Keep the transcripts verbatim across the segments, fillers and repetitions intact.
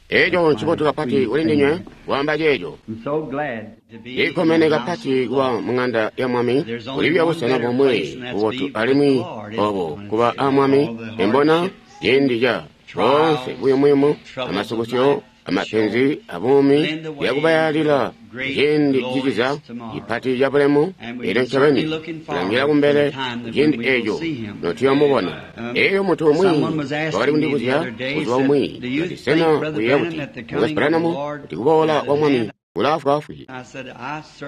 Eco ncibotu kapati kuli ndinywe kwaamba ceeco. Ndikkomene kapati kuba mung'anda ya Mwami. Kulibya busena bomwe bubotu alimwi obo kuba a Mwami. Embona ciindi ca boonse buyumuyumu amasukusyo amapenzi abuumi yakubayalila ciindi ciciza cipati ca bulemu. Elyo ncobeni tulangila kumbele ciindi eeco notuyomubona. Eeyo muntu umwi wakali kundibuzya buzuba bumwi kati, sena uyeeya kuti Mukwesu Branham kuti kuboola kwa Mwami kulaafwaafwi?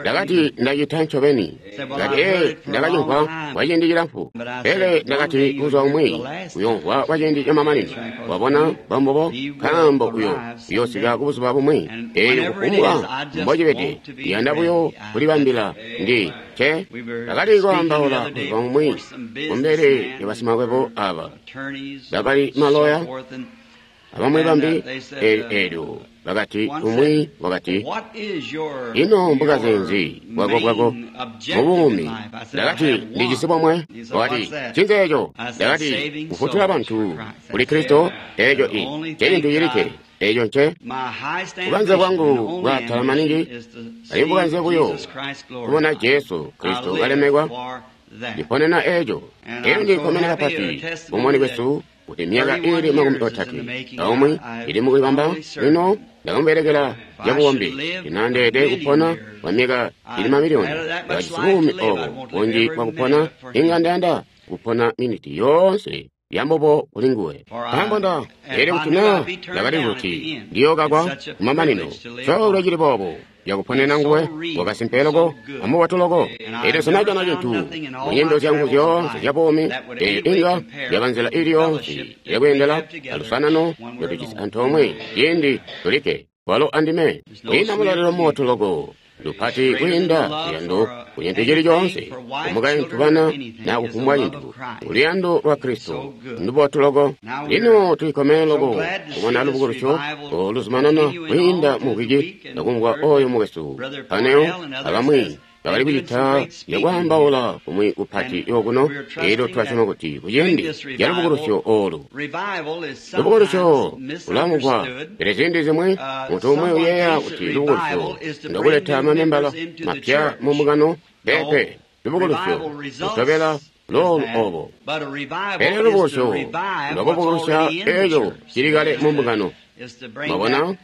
Ndakati, ndacita ncobeni. Ndakati, ee, ndakacimvwa kwa ciindi cilamfu, pele ndakati buzuba bumwi uyomvwa kwa ciindi camamanino. Wabona bambobo, nkaambo uyo uyosika kubuzuba bumwi. Eeyo kufumbwa mbocibede, ndiyanda buyo kulibambila. Ndi ce ndakali kwaambaula buzuba bumwi kumbele ya basimakwebo aba bakali maloya abamwi bambi. Eelyo bakati, umwi wakati, ino mbukaze nzi bwako bwako mubuumi? Ndakati, ndijisi bomwe. Wakati, ncinzi eco? Ndakati, kufutula bantu kuli Kristo. Eco i ncecintu cilikke. Eco nce bukanze bwangu bwaatala maningi, alimwi bukanze buyo kubona Jesu Kristo kalemekwa. Ndiponena eco. Elyo ndikkomene kapati bumoni bwesu kuti myaka ili makumi otatwe aumwi ili mukulibamba. Lino ndakamubelekela cabuombi, ndinandeede kupona kwa myaka ili mamiliyoni. Ndakajisi buumi obo bunji bwakupona, inga ndayanda kupona miniti yoonse yambobo kuli nguwe. Nkaambo nda elyo kuti naa ndakali kuti ndiyookakwa kumamanino, coolwe cili boobo yakuponena nguwe wakasimpe loko amubotu loko. Elyo sinajana cintu mu nyendo zyangu zyoonse zya buumi, eyo inga yaba nzila ili yoonse yakweendela alusanano lotujisi antoomwe ciindi tulikke walo andime. Kwiinda mulalilo mubotu loko lupati kwiinda luyando ku cintu cili coonse, kumukaintu, bana, na kufumbwa cintu, luyando lwa Kristo ndubotu loko. Lino tulikkomene loko kubona lubukulusyo oluzumanana kwiinda mu wiki, akumvwa oyo mukwesu Paneo abamwi bakali kucita yakwaambaula kumwi kupati okuno. Elyo twasyoma kuti kuciindi ca lubukulusyo olu, lubukulusyo lulamugwa, pele ziindi zimwi muntu umwi uyeeya kuti lubukulusyo ndokuleta mamembala mapya mu mbungano. Peepe, lubukulusyo lutobela loolu obo, pele lubukulusyo ndwakubukulusya eco cili kale mu mbungano. Mwabona?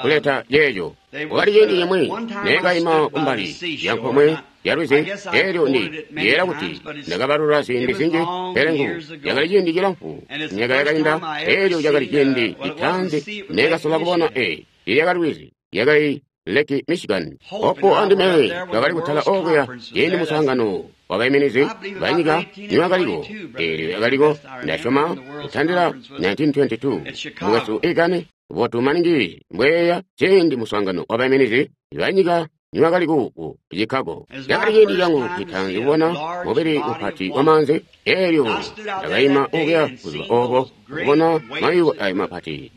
Kuleta ceeco. Wakali ciindi cimwi neekaima kumbali ya nkomwe ya lwizi. Elyo ndi yeera kuti ndakabalula ziindi zinji, pele ngu yakali ciindi cilamfu, myaka yakainda. Elyo cakali ciindi citaanzi neekasola kubona e ilyakali lwizi, yakali Lake Michigan. Opo andime twakali kutala okuya ciindi muswaangano wabaiminizi banyika niwakaliko. Elyo yakaliko, ndasyoma, kutandila nineteen twenty-two, mukwesu Egan botu maningi mbweya ciindi muswaangano wabaiminizi banyika niwakali ku Chicago. Cakali ciindi cangu citaanzi kubona mubili mupati wa maanzi. Elyo ndakaima okuya buzuba obo kubona mayuwe ayo mapati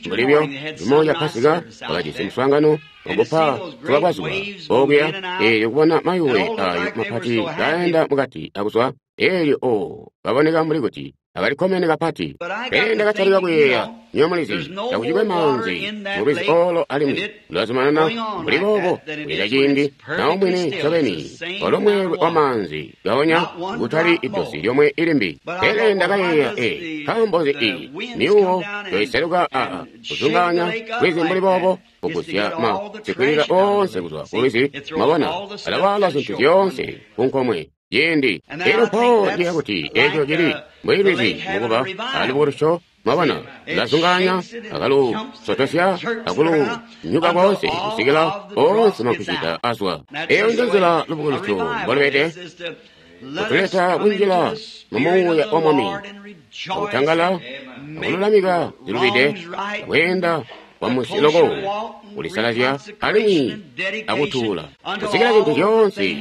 mbulibyo cimo ca Pasika bakajisi muswaangano wakupa zuba kwa zuba okuya. Elyo kubona mayuwe ayo mapati kaenda mukati akuzwa, elyo o kaboneka mbuli kuti akalikkomene kapati. Pele ndakatalika kuyeeya, nyo mulizi, takucikwe maanzi mulwizi olo alimwi lulazumanana mbuli boobo kuleta ciindi nawo mwini ncobeni walo mweelwe wa maanzi gaonya kutali idosi lyomwe ilimbi. Pele ndakayeeya, e nkaambo nzi i miuwo yoiseluka aa kuzungaanya lwizi mbuli boobo, kugusya ma sikwilila oonse kuzwa ku lwizi? Mwabona, alawaala zintu zyoonse ku nkomwe ciindi. Elyo mpawo ndiya kuti eco cili mbuli lwizi mukuba alubukulusyo. Mwabona, lazungaanya akalusotosya akulunyuka koonse kusikila oonse makucita azwa. Eyo nje nzila lubukulusyo mbolubede, kutuleta kunjila mu muuya wa Mwami, akutangala, akululamika zilubide, akweenda kwamusi loko, kulisalazya alimwi akutuula, kusikila zintu zyoonse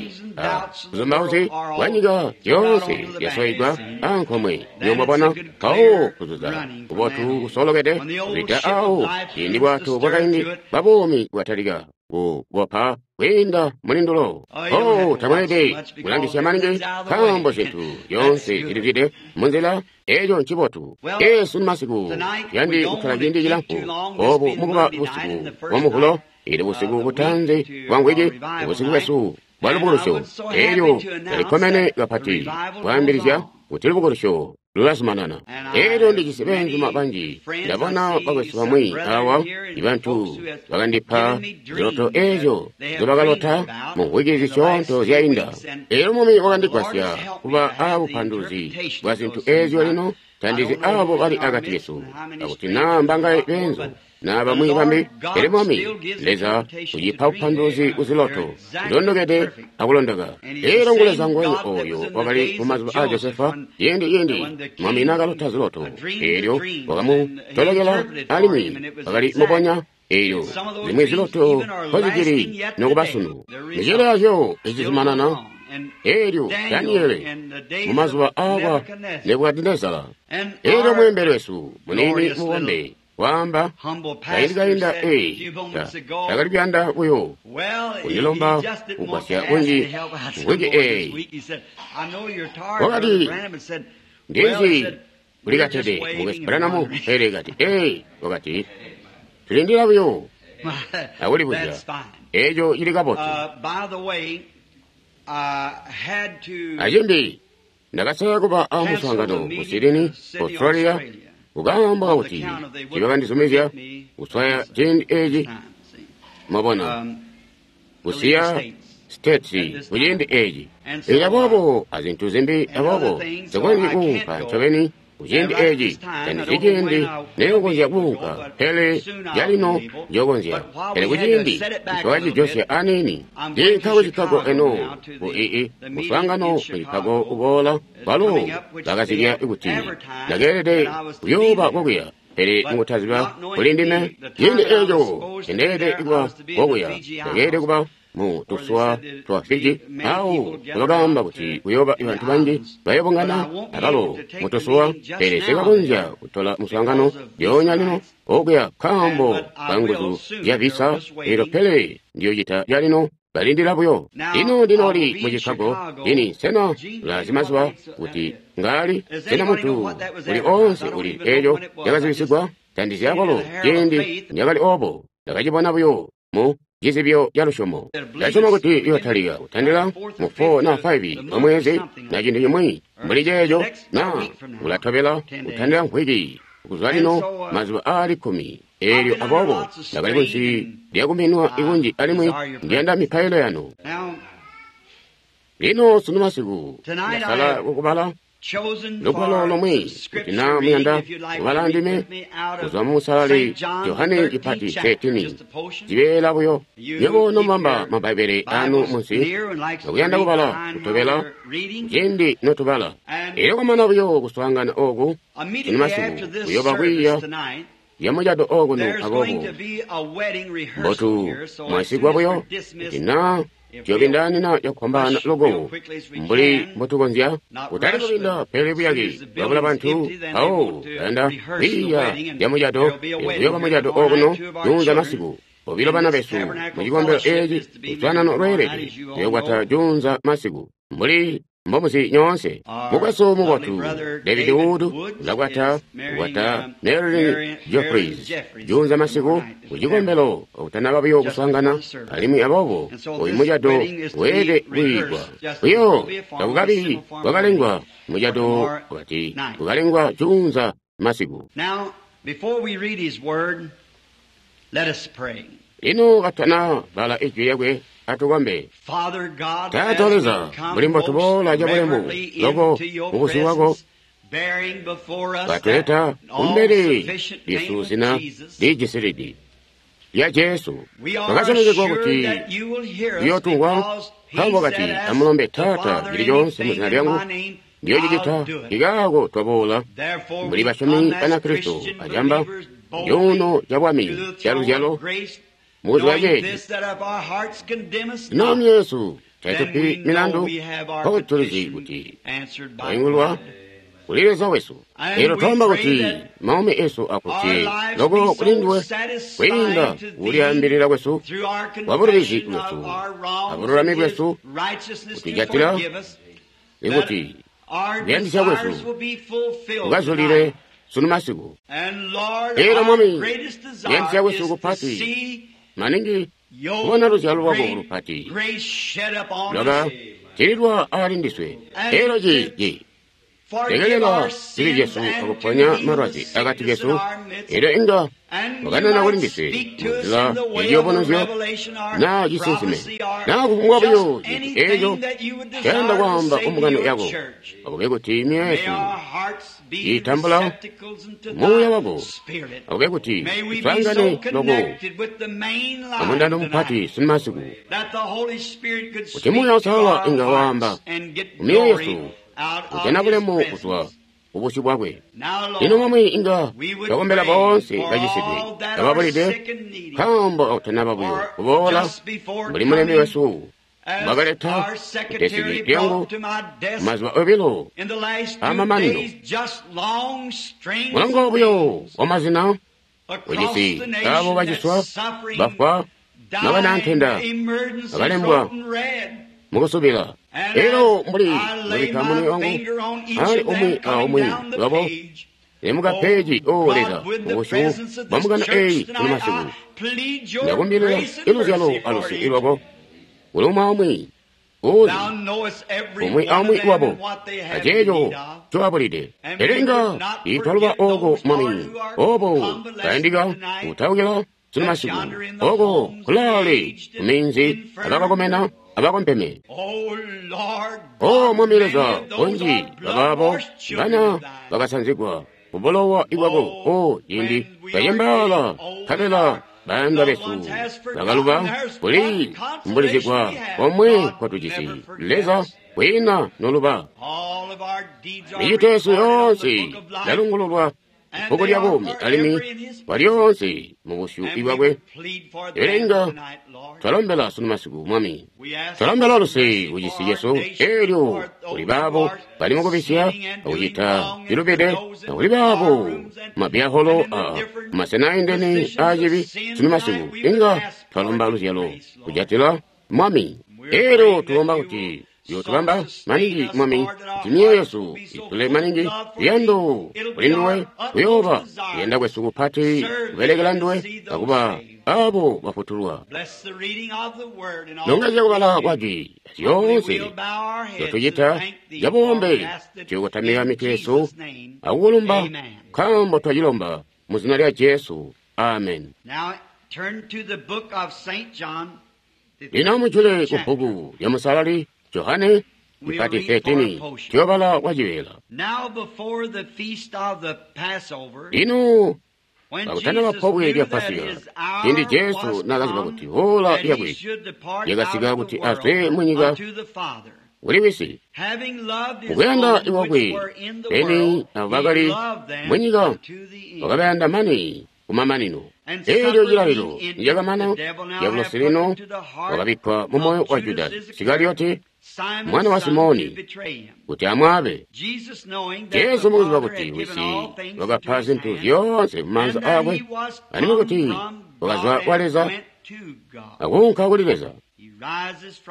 buzumbauzi bwanyika zyoonse zyasoigwa ankomwe. Niyo mwabona, mpawo kuzuza kubotu kusolokede kuzwida awo ciindi bwato bwakaindi bwa buumi bwatalika kukopa kwiinda mulindulo. Oh, tamweelede kulangisya maningi nkaambo zintu zyoonse zilizwide munzila. Eco ncibotu. Esu masiku yandi kukkala ciindi cilamfu obu mukuba busiku bwa Muvulo, ili busiku butanzi bwa ngwiki, busiku bwesu bwa lubukulusyo. Elyo ndalikkomene kapati kwaambilizya kuti lubukulusyo lulazumanana. Elyo ndijisi beenzuma banji. Ndabona bakwesu bamwi awa, ibantu bakandipa ziloto ezyo nzobakalota mu mvwiki zisyoonto zyainda. Elyo Mwami wakandigwasya kuba aabupanduluzi bwa zintu ezyo. Lino tandizi abo bali akati kesu, akuti naa mbangaye beenzu naa bamwi bambi, pele Mwami Leza ucipa bupanduluzi kuziloto zilondokede akulondoka. Elyo ngu Leza nguwenya oyo wakali mu mazuba a Josefa, ciindi ciindi Mwami naakalota ziloto, elyo wakamutolokela alimwi wakali mubonya. Elyo zimwi ziloto kozicili nokuba sunu, micelo yazyo icizumanana. Elyo Daniele mu mazuba aakwa Nebukadinezara, elyo mweembeli wesu muniini mubombe waamba kaindi kainda, ee, takali kuyanda buyo kundilomba kugwasya kunji mvwiki eeyi. Wakati, ndizi kulikatede mukwesu Branham, pele kati, ee, wakati, tulindila buyo akulibuzya. Eco cili kabotu. Acimbi, ndakasala kuba a muswaangano ku Sydney, Australia, kukaamba kakuti tibakandizumizya kuswaya ciindi eci, mwabona, kusiya States kuciindi eci. Elyo aboobo azintu zimbi, aboobo nsikonzyi kuunka ncobeni kuciindi eci. Tandizi ciindi neyokonzya kuunka, pele calino njokonzya. Pele kuciindi ntwakajosya aniini, ndiinka ku Chicago eno ku ii muswaangano ku Chicago uboola. Balo bakazibya kuti ndakeelede kuyooba kokuya, pele mukutaziba kuli ndime ciindi eco ndeelede kuba kokuya, ndakeelede kuba mu tuswa twa Fiji, awo bakaamba kuti kuyooba bantu banji bayobungana abalo mu tuswa, pele sikakonzya kutola muswaangano lyoonya lino okuya nkaambo ka nguzu zya visa. Elyo pele ndiyocita lyalino, balindila buyo. Lino ndinooli mu Chicago ini. Sena ulazi mazuba kuti ngaali? Sena muntu uli oonse uli eco cakazibisigwa? Tandizi akwalo ciindi ndakali obo, ndakacibona buyo mu cizibyo ca lusyomo. Ndasyoma kuti iyotalika kutandila mu four na five wa mwezi na cintu cimwi mbuli ceeco, na ulatobela kutandila mvwiki kuzwa lino, mazuba aali kkumi. Elyo aboobo ndakali kunsi lyakuminwa ikunji, alimwi ndiyanda mipailo yanu. Lino sunu masiku ndasala kukubala lugwalo lomwe, kuti naa muyanda kubala ndime, kuzwa mu Musalali Johane cipati thirteen, cibeela buyo. Nywebo nomubamba Mabbaibele anu munsi akuyanda kubala kutobela ciindi notubala. Elyo kwamana buyo kuswaangana oku sunu masiku, kuyooba kwiiya zyamucado okuno. Aboobo mbotu mwasigwa buyo kuti naa tuyobindaanina cakufwambaana loko mbuli mbotukonzya, kutali kubinda pele buyake bwabula bantu awo bayanda kwiiya zyamucado. Kuyooba mucado okuno juunza masiku. Bobilo bana besu mu cikombelo eci luswaanano lweelede tuyokwata juunza masiku, mbuli mbomuzi nyoonse. Mukwesu mubotu David Wood ulakwata kukwata Marilyn Jeffries juunza masiku ku cikombelo kutanaba buyo kuswaangana, alimwi aboobo oyu mucado weelede kuyiigwa buyo takukabi bwakalengwa. Mucado wakati kukalengwa juunza masiku. Lino katana bala ijwi lyakwe, atukombe. Taata Leza, mbuli mbotuboola cabulemu loko mubusyu bwako, katuleta kumbele lyesu zina lijisilidi lya Jesu. Twakasyomezegwa kuti uyootungwa, nkaambo kati, amulombe Taata cili coonse muzina lyangu, ndiyocicita. Ikaako twaboola mbuli basyomi Banakristo acamba cuuno cabwami caluzyalo mubuzuba ceeci. Lino myoyo yesu taitupi milandu, nkokuti tulizi kuti twaingulwa kuli Leza wesu. Elyo twaamba kuti maumi esu akuti loko kuli nduwe kwiinda kulyaambilila kwesu kwa bulubizi bwesu abululami bwesu kutujatila ikuti kuyandisya kwesu kukazulile sunu masiku. Elyo Mwami, kuyandisya kwesu kupati maningi kubona luzyalo lwako lupati lwaka tililwa ali ndiswe. Elyo ci lekelela zibi zyesu akuponya malwazi akati kesu. Elyo inga wakanena kuli ndiswe munzila yaciyubunuzyo naa cisinsime naa kufumbwa buyo cintu eeco cayanda kwaamba kumbungano yako. Akube kuti myoyo yesu iitambula muuya wako. Akube kuti tuswaangane loko amundando mupati sunu masiku, kuti Muuya Uusalala inga waamba kumyoyo yesu kujana bulemu kuzwa kubusyu bwakwe. Lino Mwami, inga twakombela boonse bacisidwe ababulide, nkaambo akutanaba buyo kuboola mbuli mulembi wesu mbwakaleta kutesiki lyangu mazuba obilo amamanino. Mulongo buyo wamazina ujisi abo baciswa, bafwa, nabanantenda abalembwa mukusubila. Elyo mbuli mbubikka munwe wangu ali umwi aumwi lwabo emukapeji, o Leza, mubusyu bwa mbungano eyi sunu masiku, ndakumbilila iluzyalo aluse lwako kuli umwi aumwi uzi umwi aumwi wabo aceeco ncobabulide. Elyo inga itwaluba oko Mwami, obo kayandika kutaukila sunu masiku, oko kulaale kuminzi abakakomena abakompeme. O Mwami Leza, bunji babaabo bana bakasanzigwa kubulowa ibwako. O ciindi kacembaala nkabela bayandwa besu bakaluba kuli kumbulizigwa komwe kwatujisi Leza kwiina noluba. Micito yesu yoonse yalungululwa bbuku lya buumi alimwi kwalyoonse mubusyu bwakwe. Elyo inga twalombela sunu masiku, Mwami, twalombela luse kucisi cesu. Elyo kuli baabo bali mukubisya akucita cilubide, akuli baabo mabyaholo a masena aindene aacibi sunu masiku, inga twalomba luzyalo kujatila, Mwami. Elyo tulomba kuti yotubamba maningi, Mwami, kuti myoyo yesu itule maningi luyando kuli nduwe. Kuyooba kuyanda kwesu kupati kubelekela nduwe akuba abo bafutulwa. Nongezya kubala kwa jwi zyoonse zyotucita zyabubombe, tuyokotamika mitwe yesu akukulumba nkaambo twacilomba mu zina lya Jesu. Amen. Lino mujule ku bbuku lya Musalali Johane ipati thirteen, tuyobala kwa cibeela. Lino pakutanaba pobwe lya Pasika, ciindi Jesu naakaziba kuti hola lyakwe lyakasika kuti azwe munyika kuli Wisi, mukuyanda iwakwe beni abo bakali munyika wakabayanda mane kumamanino. Elyo cilalilo nicakamana, Diabolosi lino wakabikkwa mumoyo wa Judasi Isikariyoti, mwana wa Simoni, kuti amwaabe. Jesu mukuziba kuti Wisi wakapa zintu zyoonse mumaanza aakwe, alimwi kuti wakazwa kwa Leza akuunka kuli Leza,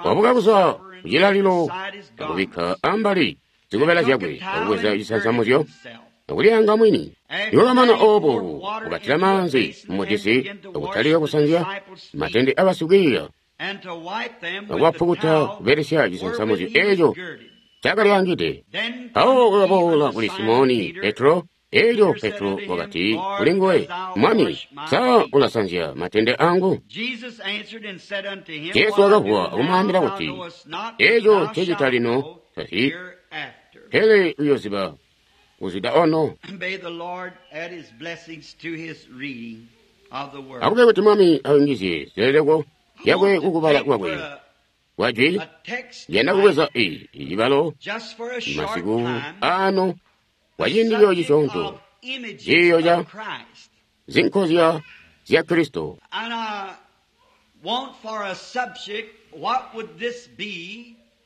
wabuka kuzwa kucilalilo akubikka ambali zikobela zyakwe akubweza cisansamuzyo akulyanga mwini. Niwakamana obo, wakatila maanzi mumutisi akutalika kusanzya matende abasikwiiya akubapukuta kubelesya cisansamuzyo eeco cakalyangide. Mpawo wakaboola kuli Simoni Petro. Elyo Petro wakati kuli nguwe, Mwami, sa ulasanzya matende angu? Jesu wakavuwa akumwaambila kuti, eeco ncecita lino tasi, pele uyoziba kuzida ono. Akube kuti Mwami ayungizye zileleko zyakwe kukubala kwakwe kwa jwi. Yanda kubweza i cibalo masiku ano kwa ciindi buyo cisyoonto, ciiyo ca zinkozya zya Kristo.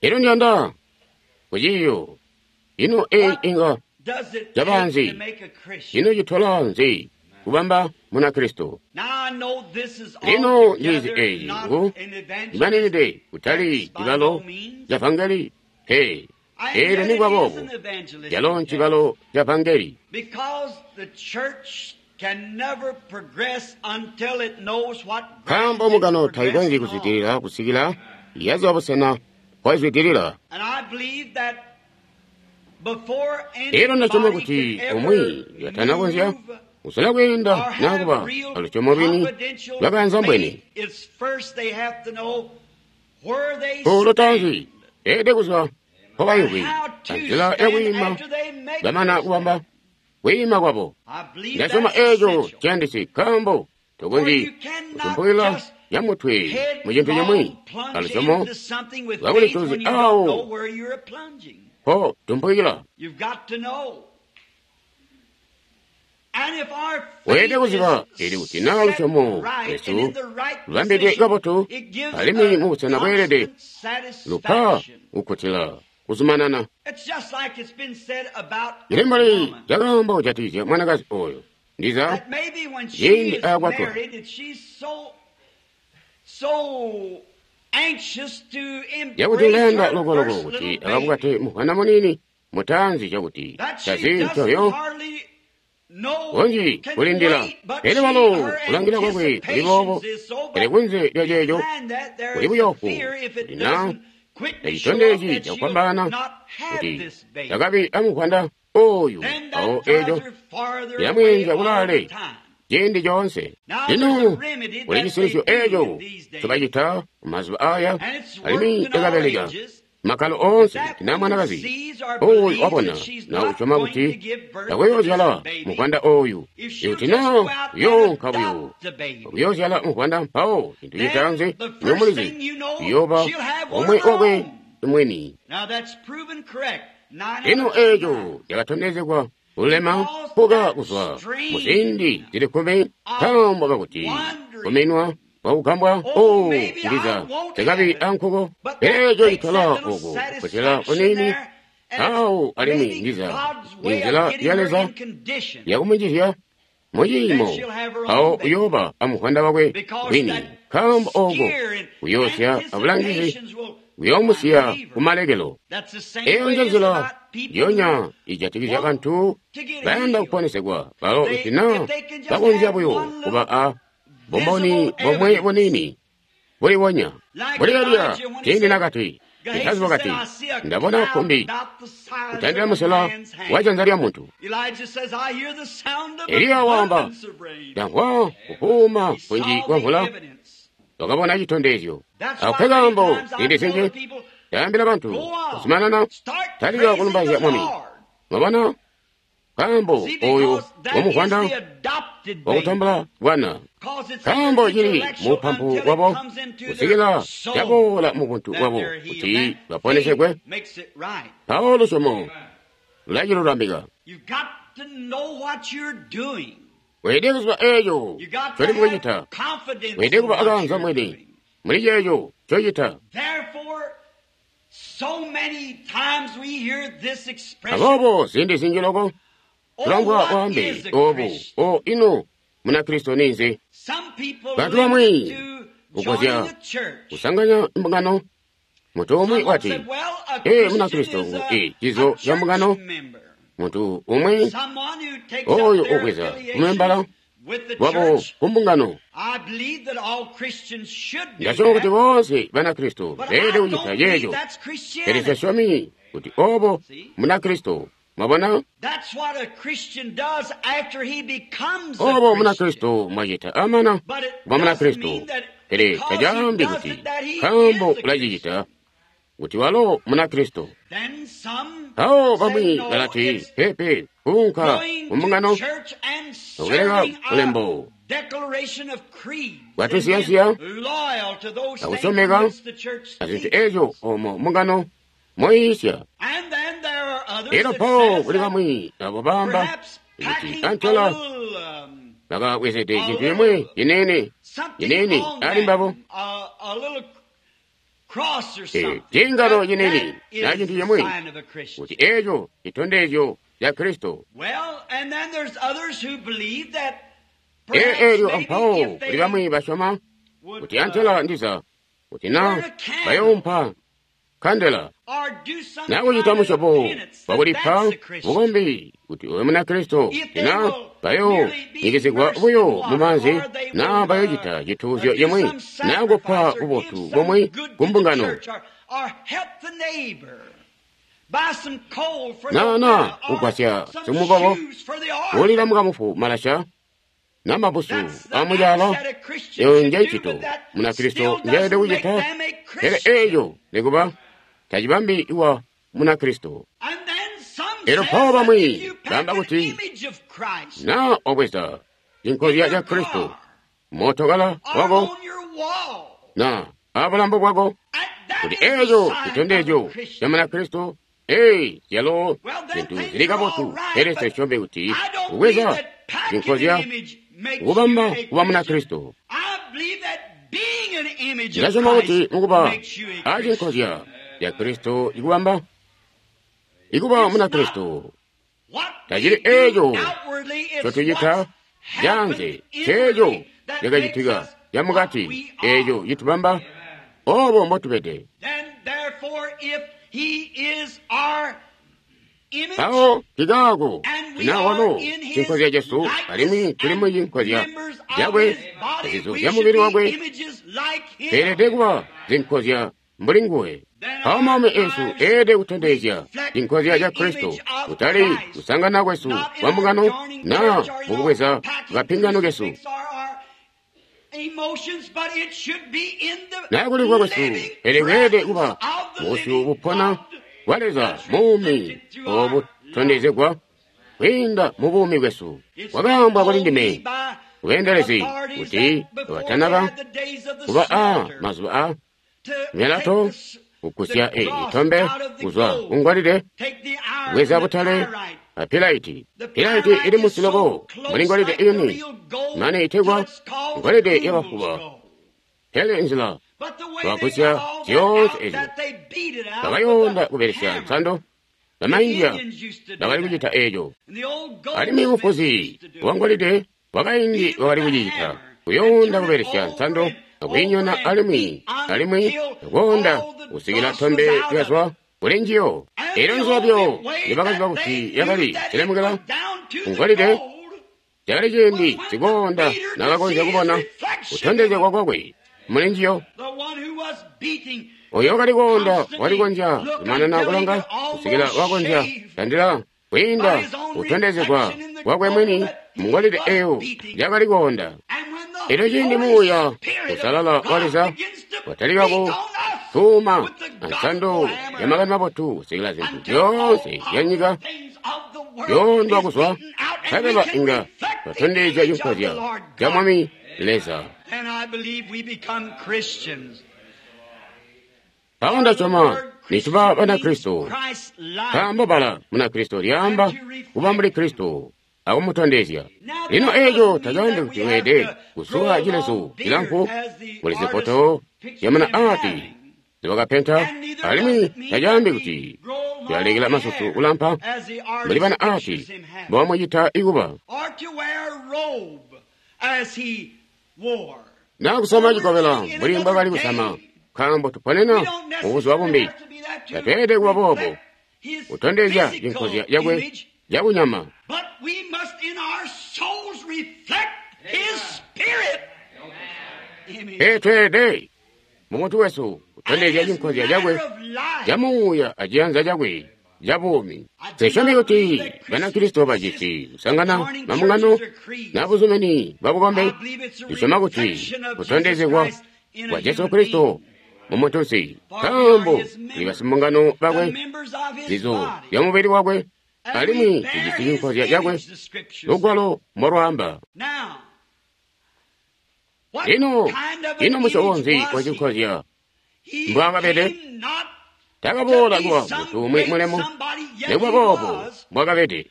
Elyo ndiyanda ku ciiyo ino eyi inga Cabanzi. Ino citola nzi kubamba Munakristo? Lino ndizi eyi ngu imaninide kutali cibalo ca vangeli pe. Eelyo nikuba boobo calo ncibalo ca vangeli. Nkaambo mbungano taikonzyi kuzwidilila kusikila yaziba busena mpoizwidilila. Elyo ndasyoma kuti umwi katanakonzya kusola kweenda naa kuba alusyomo lwini lwakaanzambwene, lutaanzi beelede kuziba mpobaimvwi anzila yakwiima bamana kubamba kwiima kwabo. Ndasyoma eeco ciyandisi nkaambo tokonzyi kusumpukila nyamutwe mu cintu cimwi alusyomo lwakulituzi awo mpo tumpukila. Weelede kuziba ili kuti naa lusyomo lwesu lubambidwe kabotu alimwi mubusena bweelede lupa kukkutila kuzumanana. Cili mbuli cakaamba kujatikizya mwanakazi oyo ndiza ciindi aakwatwa cakuti ulayanda lokoloko kuti akabukate muvwana muniini mutaanzi cakuti tazi ncoyo kunji kulindila. Pele walo kulangila kwakwe kuli boobo, pele kunze lya ceeco kuli buyoofu kuti naa tacitondezyi cakufwambaana kuti takabi amuvwanda oyu awo eeco cilamweenzya kulaale ciindi coonse. Lino kuli cisilisyo eeco ncobacita mumazuba aya alimwi cakabeleka makkalo oonse kuti naa mwanakazi oyu wabona naa usyoma kuti takuyoozyala muvwanda oyu, ikuti naa uyoonka buyo akuyoozyala muvwanda, mpawo cintu citaanzi nyomulizi uyooba omwe wakwe mwini. Lino eeco cakatondezegwa kulema kuka kuzwa muziindi zili kkumi nkaambo kakuti kuminwa kwakugambwa oo ndiza tekabi ankuko. Pele eeco citola oku kukkutila kuniini awo alimwi ndiza ninzila ya Leza yakumunjizya muciimo awo uyooba amuvwanda wakwe wini, nkaambo ooko kuyoosya abulangizi kuyoomusiya kumalekelo. Eyo nje nzila njiyonya ijatikizya bantu bayanda kuponesegwa balo kuti naa bakonzya buyo kuba a bumboni bomwe buniini bulibonya. Mbuli Eliya ciindi nakati, Gehazi wakati, ndabona kkumbi kutandila musela wa janza lya muntu. Eliya waamba, ndamvwa kufuuma kunji kwa mvula. Wakabona citondezyo. Ako kaambo ziindi zinji ndaambila bantu kuzumanana talika kulumbaizya Mwami. Mwabona kaambo oyu wamuvwanda wakutambula bwana, kaambo cili mupampu wabo kusikila caboola mubuntu bwabo kuti baponesegwe. Mpawo lusyomo lulacilulamika. Weelede kuziba eeco ncoli mukucita. Weelede kuba akaanza mwini muli ceeco ncocita. Aboobo ziindi zinji loko tulangwa waambe oobu o ino Munakristo ninzi? Bantu bamwi kukozya kusanganya mbungano. Muntu umwi wati, ee, Munakristo ngu e cizo ca mbungano. Muntu umwi oyo ubweza kumembala wabo kumbungano. Ndasyoma kuti boonse Banakristo beelede kucita ceeco, pele nsasyomi kuti obo Munakristo. Mwabona obo Munakristo mwacita amana kuba Munakristo, pele tacaambi kuti nkaambo ulacicita kuti walo Munakristo. Mpawo bamwi balati, pepe, kuunka kumbungano akubeleka ulembo bwatusiyansiya akusyomeka azintu eezyo omo mbungano moyiisya. Elyo mpawo kuli bamwi abo baamba kuti antela bakabwezede cintu cimwi ciniini ciniini ali mbabo. Ciingano cinini na cintu cimwi kuti eeco citondezyo ca Kristo. Eelyo ampawo kuli bamwi basyoma kuti antela ndiza kuti na bayoompa kandela na kucita musyobo wakulipa bukombi kuti uwe Munakristo, na bayoonyikizigwa buyo mumaanzi na bayocita cituuzyo cimwi na kupa bubotu bumwi kumbungano na na kugwasya simukobo kulila mukamufu malasha na mabusu amucalo. Eyo nje ncito Munakristo njeelede kucita, pele eeco nikuba tacibambi iwa Munakristo. Elyo mpawo bamwi baamba kuti na wabweza cinkozya ca Kristo mootokala wako na abulambo bwako kuti eeco citondezyo ca Munakristo. Ee, zyalo zintu zili kabotu, pele sesyobe kuti kubweza cinkozya kubamba kuba Munakristo. Ndilasyoma kuti mukuba acinkozya ca Kristo ikubamba ikuba Munakristo tacili eeco ncotucita canze, ceeco cakacitika camukati, eeco citubamba obo mbotubede. Mpawo kikaako tina walo cinkozya cesu alimwi tuli mu cinkozya cakwe, zizo zya mubili wakwe, tweelede kuba zinkozya mbuli nguwe. Mpawo maumi esu eelede kutondezya cinkozya ca Kristo, kutali kusangana kwesu kwa mbungano na mukubweza kapingano kesu na kulimvwa kwesu, pele kweelede kuba busyu bupona bwa Leza muumi obutondezegwa kwiinda mu buumi bwesu. Kwakaambwa kuli ndime kubeendelezi kuti batanaba kuba a mazuba a myalato kugusya itombe kuzwa kungolide, kubweza butale a pilaiti. Pilaiti ili musiloko muli ngolide ini mane itegwa ngolide yabafuba. Pele nzila bakugusya zyoonse ezyo bakayonda kubelesya nsando. Bamaindia bakali kucita eeco, alimwi mufuzi wangolide wakaindi wakali kucicita, kuyonda kubelesya nsando akwiinyona alimwi alimwi akoonda kusikila tombe lyazwa kuli njiyo. Elyo nzila byo nibakaziba kuti yakali cilemukela kungolide, cakali ciindi sikoonda nakakonzya kubona kutondezegwa kwakwe muli njiyo. Oyo wakali koonda walikonzya kumanana kulanga kusikila wakonzya tandila kwiinda kutondezegwa kwakwe mwini mungolide eyo yakali koonda. Elyo ciindi Muuya Usalala wa Leza watalika kutuuma ansando ya makani mabotu kusikila zintu zyoonse zyanyika zyoondwa kuzwa, nkabela inga twatondezya cinkozya ca Mwami Leza. Mpawo ndasyoma nituba Banakristo, nkaambo bbala Munakristo lyaamba kuba mbuli Kristo akumutondezya. Lino eeco tacaambi kuti weelede kusuwa cilezu cilamfu muli zifoto zyamuna aati zibakapenta, alimwi tacaambi kuti tulalekela masusu kulampa mbuli bana aati mbobamucita ikuba na kusama cikobela mbuli mbwakali kusama, nkaambo tuponena mubuzuba bumbi. Tatweelede kuba boobo kutondezya cinkozya cakwe cakunyama. Pele tweelede mumuntu wesu kutondezya cinkozya cakwe camuuya aciyanza cakwe cabuumi. Sisyomi kuti Banakristo bajisi kusangana mambungano na buzumini bwabukombe. Ndisyoma kuti kutondezegwa kwa Jesu Kristo mumuntunsi, nkaambo tuli basimbungano bakwe, zizo zya mubili wakwe, alimwi tujisi cinkozya cakwe, lugwalo mbolwaamba. Lino, ino musyobo nzi wa cinkozya mbwaakabede? Takaboola kuba muntu umwi mulemu, nikuba boobo mbwaakabede.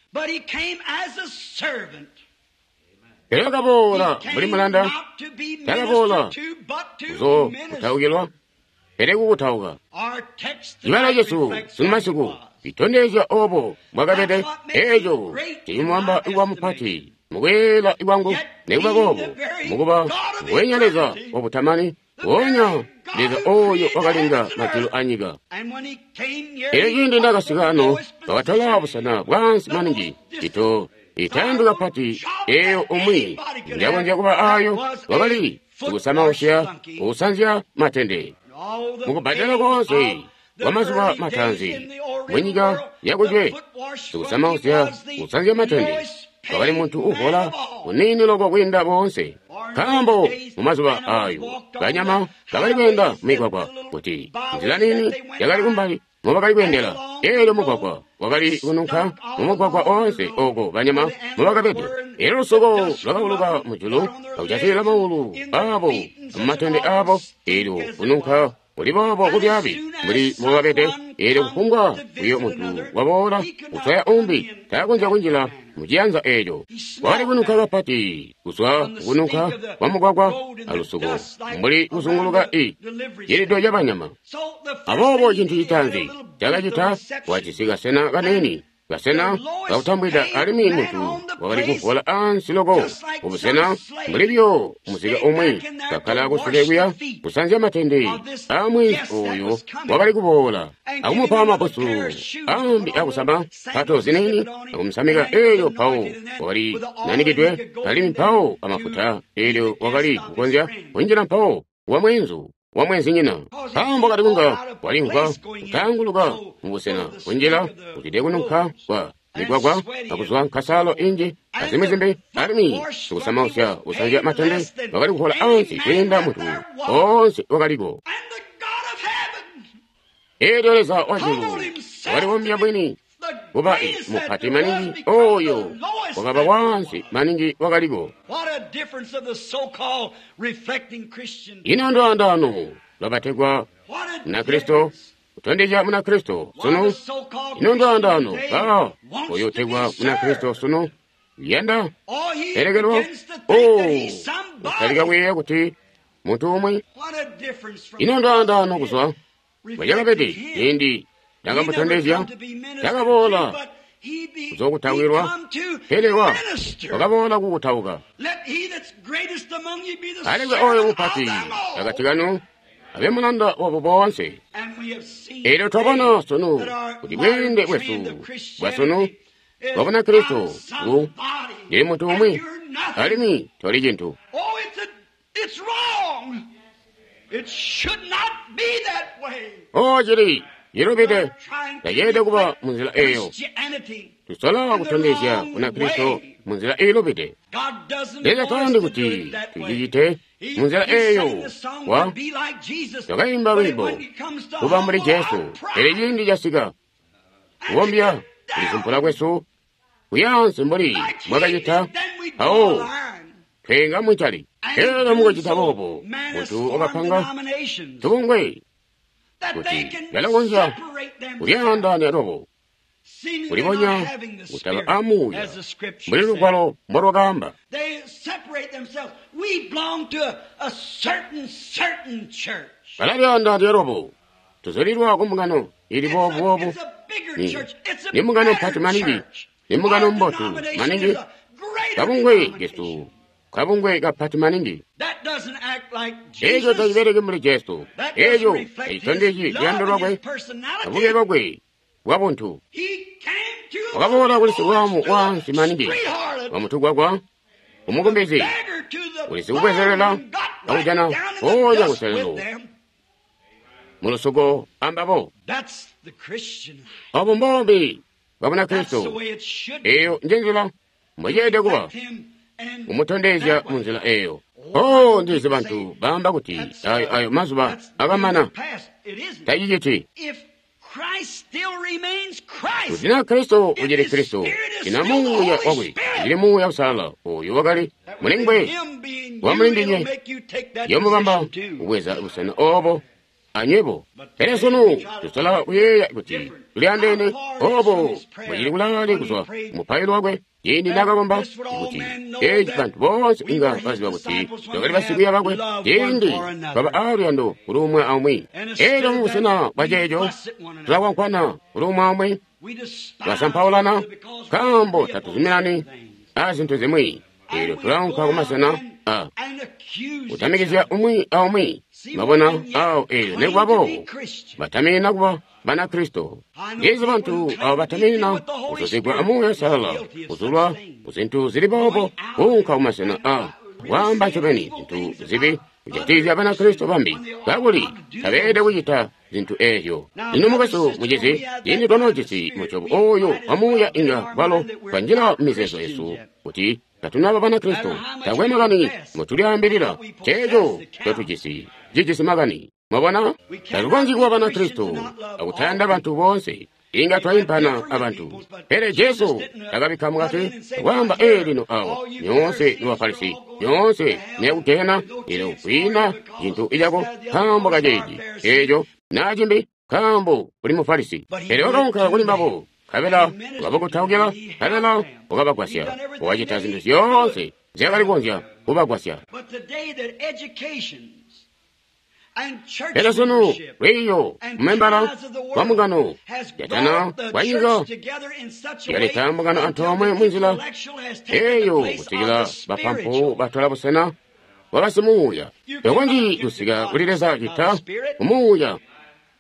Pele wakaboola mbuli mulanda, takaboola kuzokutaukilwa, pele kukutauka. Cibalo cesu sunu masiku citondezya obo mbwakabede. Eeco cicimubamba kuba mupati mukweela kwangu, nikuba boobo mukuba nguwenya Leza wabutamani, nguonya Leza oyo wakalenga majulu anyika. Elyo ciindi ndakasika ano, bakatola busena bwaansi maningi, cito itayandwi kapati eyo umwi njakonzya kuba ayo, wakali kusamausya kusanzya matende. Mukubbadela koonse kwamazuba mataanzi munyika yakujwe, sikusamausya kusanzya matende wakali muntu uhola uniini loko kwiinda boonse, nkaambo mumazuba ayo banyama bakali kweenda mumigwagwa kuti nzila nini yakali kumbali mubakali kweendela. Eelyo mugwagwa wakali kununka mumugwagwa oonse oko banyama mubakabede. Eelyo lusuko lwakauluka mujulu akujatilila maulu aabo mumatende aabo, eelyo kununka kuli boobo kubyaabi mbuli mubakabede. Eelyo kufumbwa buyo muntu waboola kuswaya umbi taakonzya kunjila muciyanza eeco. Wakali kununka kapati kuzwa kukununka kwa mugwagwa alusuko mbuli kuzunguluka i cilido cabanyama. Aboobo cintu citaanzi cakacita wajisi kasena kaniini, kasena kakutambwida, alimwi muntu wakali kuvola ansi loko kubusena mbuli buyo muzika umwi kakkala kusule kuya kusanzya matende amwi oyo wakali kuboola akumupa mabusu ambi akusama mpato ziniini akumusamika. Eelyo mpawo wakali nanikidwe alimwi mpawo amafuta, eelyo wakali kukonzya kunjila mpawo wa mweenzu wa mweenzinyina, nkaambo kali kunga walimvwa kutaanguluka mubusena kunjila kuzwide kununka kwa migwagwa akuzwa nkasalo inji azimwi zimbi, alimwi sikusamausya kusanzya matende wakali kuhola ansi kwiinda muntu oonse wakaliko. Eelyo Leza wajulu wakalibombya bwini kuba mupati maningi oyo wakaba wansi maningi wakaliko. Ino ndwaandano lwabategwa Munakristo kutondezya Munakristo sunu. Ino ndwaandano ba oyo utegwa Munakristo sunu yanda elekelwa o utalika kuyeeya kuti muntu umwi. Ino ndwaandano kuzwa bwacakabede ciindi ndakamutondezya takaboola kuzokutawilwa, pele wa wakaboola kukutauka. Alekwe oyo mupati akati kanu abe mulanda wabo boonse. Eelyo twabona sunu kuti bweende bwesu bwa sunu bwa Bunakristo ngu ndili muntu umwi alimwi toli cintu. O cili cilubide, taceelede kuba munzila eyo. Tusola kutondezya Bunakristo munzila iilubide. Leza tayandi kuti tucicite munzila eyo. Wa twakaimba lwiimbo kuba mbuli Jesu, pele ciindi casika kubombya kulisumpula kwesu kuyaansi mbuli mwakacita mpawo twenga muncali. Elyo mukucita boobo muntu wakapanga tubungwe kuti balakonzya kulyaandaanya lwabo, kulibonya kutaba amuuya mbuli lugwalo mbolwakaamba. Balalyaandaanya lwabo, tuzulilwa kumbungano ili boobu-boobu, ni mbungano mpati maningi, ni mbungano mbotu maningi, kabungwe kesu kabungwe kapati maningi. Eco tacibeleki mbuli Jesu. Eco tacitondezyi luyando lwakwe, kabube bwakwe bwa buntu. Wakaboola kuli sibwaamu waansi maningi, wamutugwagwa, umukumbezi, kuli sikubwezelela akujana mpoonya kuselelo mulusuko ambabo. Obo mbombi bwa Bunakristo. Eyo njenzila mbweceelede kuba kumutondezya munzila eyo. Oh, ndizi bantu baamba kuti ayo ayo mazuba akamana. Taciciti. Kuti na Kristo ucili Kristo, ina muuya wakwe ucili muuya usalala oyo wakali mulingwe wa mulindinywe yomubamba kubweza busena obo anywebo. Pele sunu tusola kuyeeya kuti tuli andeene obo bucili kulaale kuzwa mupailo wakwe ciindi nakakomba kuti eci bantu boonse inga baziba kuti twakali basikwiiya bakwe ciindi twaba aaluyando kuli umwi aumwi. Elyo mubusena bwa ceeco tulakwankwana kuli umwi aumwi, tulasampaulana nkaambo tatuzuminani a zintu zimwi. Elyo tulaunka kumasena a kutamikizya umwi aumwi. Mwabona awo elyo nekuba boobo bataminina kuba Banakristo. Ndizi bantu abo bataminina kuzuzigwa amuuya Uusalala, kuzulwa kuzintu zili boobo, kuunka kumasena a kwaamba ncobeni zintu zibi kujatikizya Banakristo bambi, kakuli tabeelede kucita zintu eezyo. Lino mukwesu mucizi, ciindi twanoojisi musyobo oyo wamuuya inga kwalo twanjila mumizeezo yesu kuti tatunaba Banakristo. Takwe makani ngotulyaambilila, ceeco ncotujisi cijisi makani. Mwabona, tatukonzyi kuba Banakristo akutayanda bantu boonse. Inga twaimpana abantu. Pele Jesu takabikka mukati kwaamba ee lino awo nyoonse ni Bafarisi, nyoonse niyakugehena, elyo kwiina cintu icako nkaambo kaceeci eeco naa cimbi nkaambo uli Mufarisi. Pele wakaunka kuli mbabo, nkabela wakabakutaukila, nkabela wakabagwasya, wakacita zintu zyoonse nzyakali kukonzya kubagwasya. Pele sunu lwiiyo mumembala wa mbungano yatana kwa nyika yaleta mbungano antoomwe munzila eyo kusikila bapampu batola busena bwa basimuuya. Tokonzyi kusika kuli Leza cita kumuuya.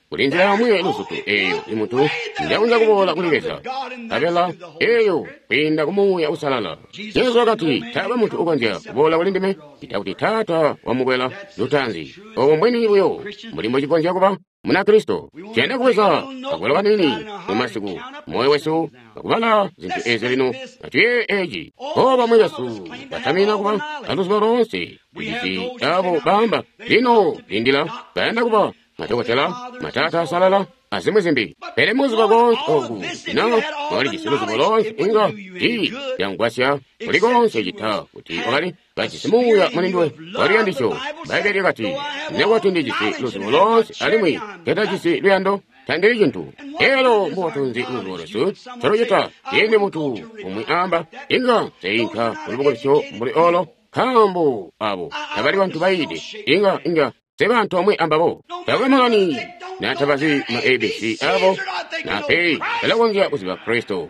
Kuli nzila yomwe luzutu eyo imuntu njakonzya kuboola kuli Leza, nkabela eyo kwiinda ku Muuya Uusalala. Jesu wakati, taakwe muntu ukonzya kuboola kuli ndime cita kuti Taata wamukwela lutaanzi. Obo mbwini buyo mbuli mbocikonzya kuba Munakristo. Tuyanda kubweza kakwelo kaniini mu masiku moyo wesu akubala zintu ezi lino. Atuyeeye eci. O bamwi besu batamina kuba aluzibo loonse tujisi abo baamba lino lindila bayanda kuba madokotela, matata asalala, azimwi zimbi. Pele muzuba konse oku na wakalijisi luzibo lonse inga tii lyamugwasya kuli konse cita kuti wakali kajisi muuya mulinduwe waluyandisyo. Bbaibbele lyakati, nekuti ndijisi luzibo lonse alimwi tetajisi luyando, tandili cintu. Elo mbubotu nzi luzibo lwesu ncolocita ciindi muntu umwi amba inga nseinka kulubukulusyo mbuli olo, nkaambo abo tabali bantu bayiide, inga inga sebantu omwe ambabo. Takwe makani natabazi ma A B C abo na P balakonzya kuziba Kristo.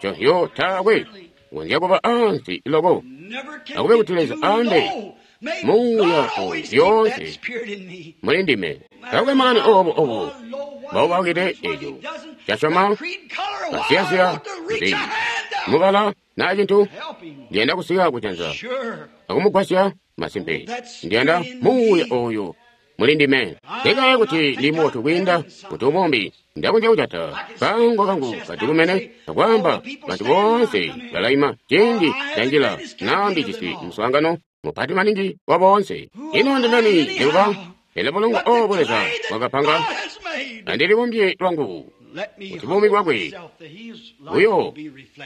Conhyo taakwe konzya kuba ansi loko. Akube kuti Leza ambe muuya zyoonse muli ndime. Takwe makani obo obo bawubakide eco casyoma kasiyasiya nzi mubala naa cintu. Ndiyanda kusika kujanza akumugwasya masimpe. Ndiyanda muuya oyo muli ndime. Ndikaye kuti ndi mubotu kwiinda kuti umumbi ndakonzya kujata kango kangu kadikumene akwaamba bantu boonse balaima ciindi ndanjila naa ndijisi muswaangano mupati maningi wa boonse. Ino ndimeni ndikuba pele bulungu obo Leza wakapanga andilibumbye lwangu kuti buumi bwakwe buyo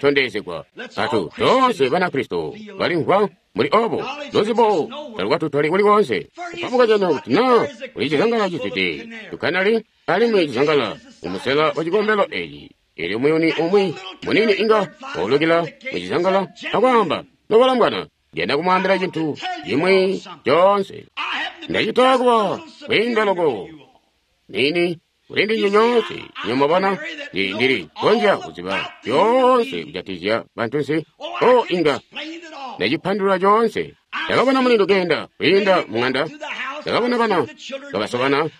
tondezegwa. Atu toonse Banakristo balimvwa muli obo luzibo talukatutoli kuli konse. Kupabuka cano kuti naa kuli cizangala cizwide tukanali alimwi cizangala mumusela wa cikombelo eci. Elyo muyuni umwi munini inga waulukila mucizangala akwaamba, nobalambwana, ndiyanda kumwaambila cintu cimwi coonse. Ndacita kuba kwiinda loko nini kuli ndinywe nyoonse. Nyomubona ndili konzya kuziba zyoonse kujatikizya bantunsi. O inga ndacipandulula coonse. Ndakabona mulindu kenda kwiinda mung'anda, ndakabona bana kabasobana,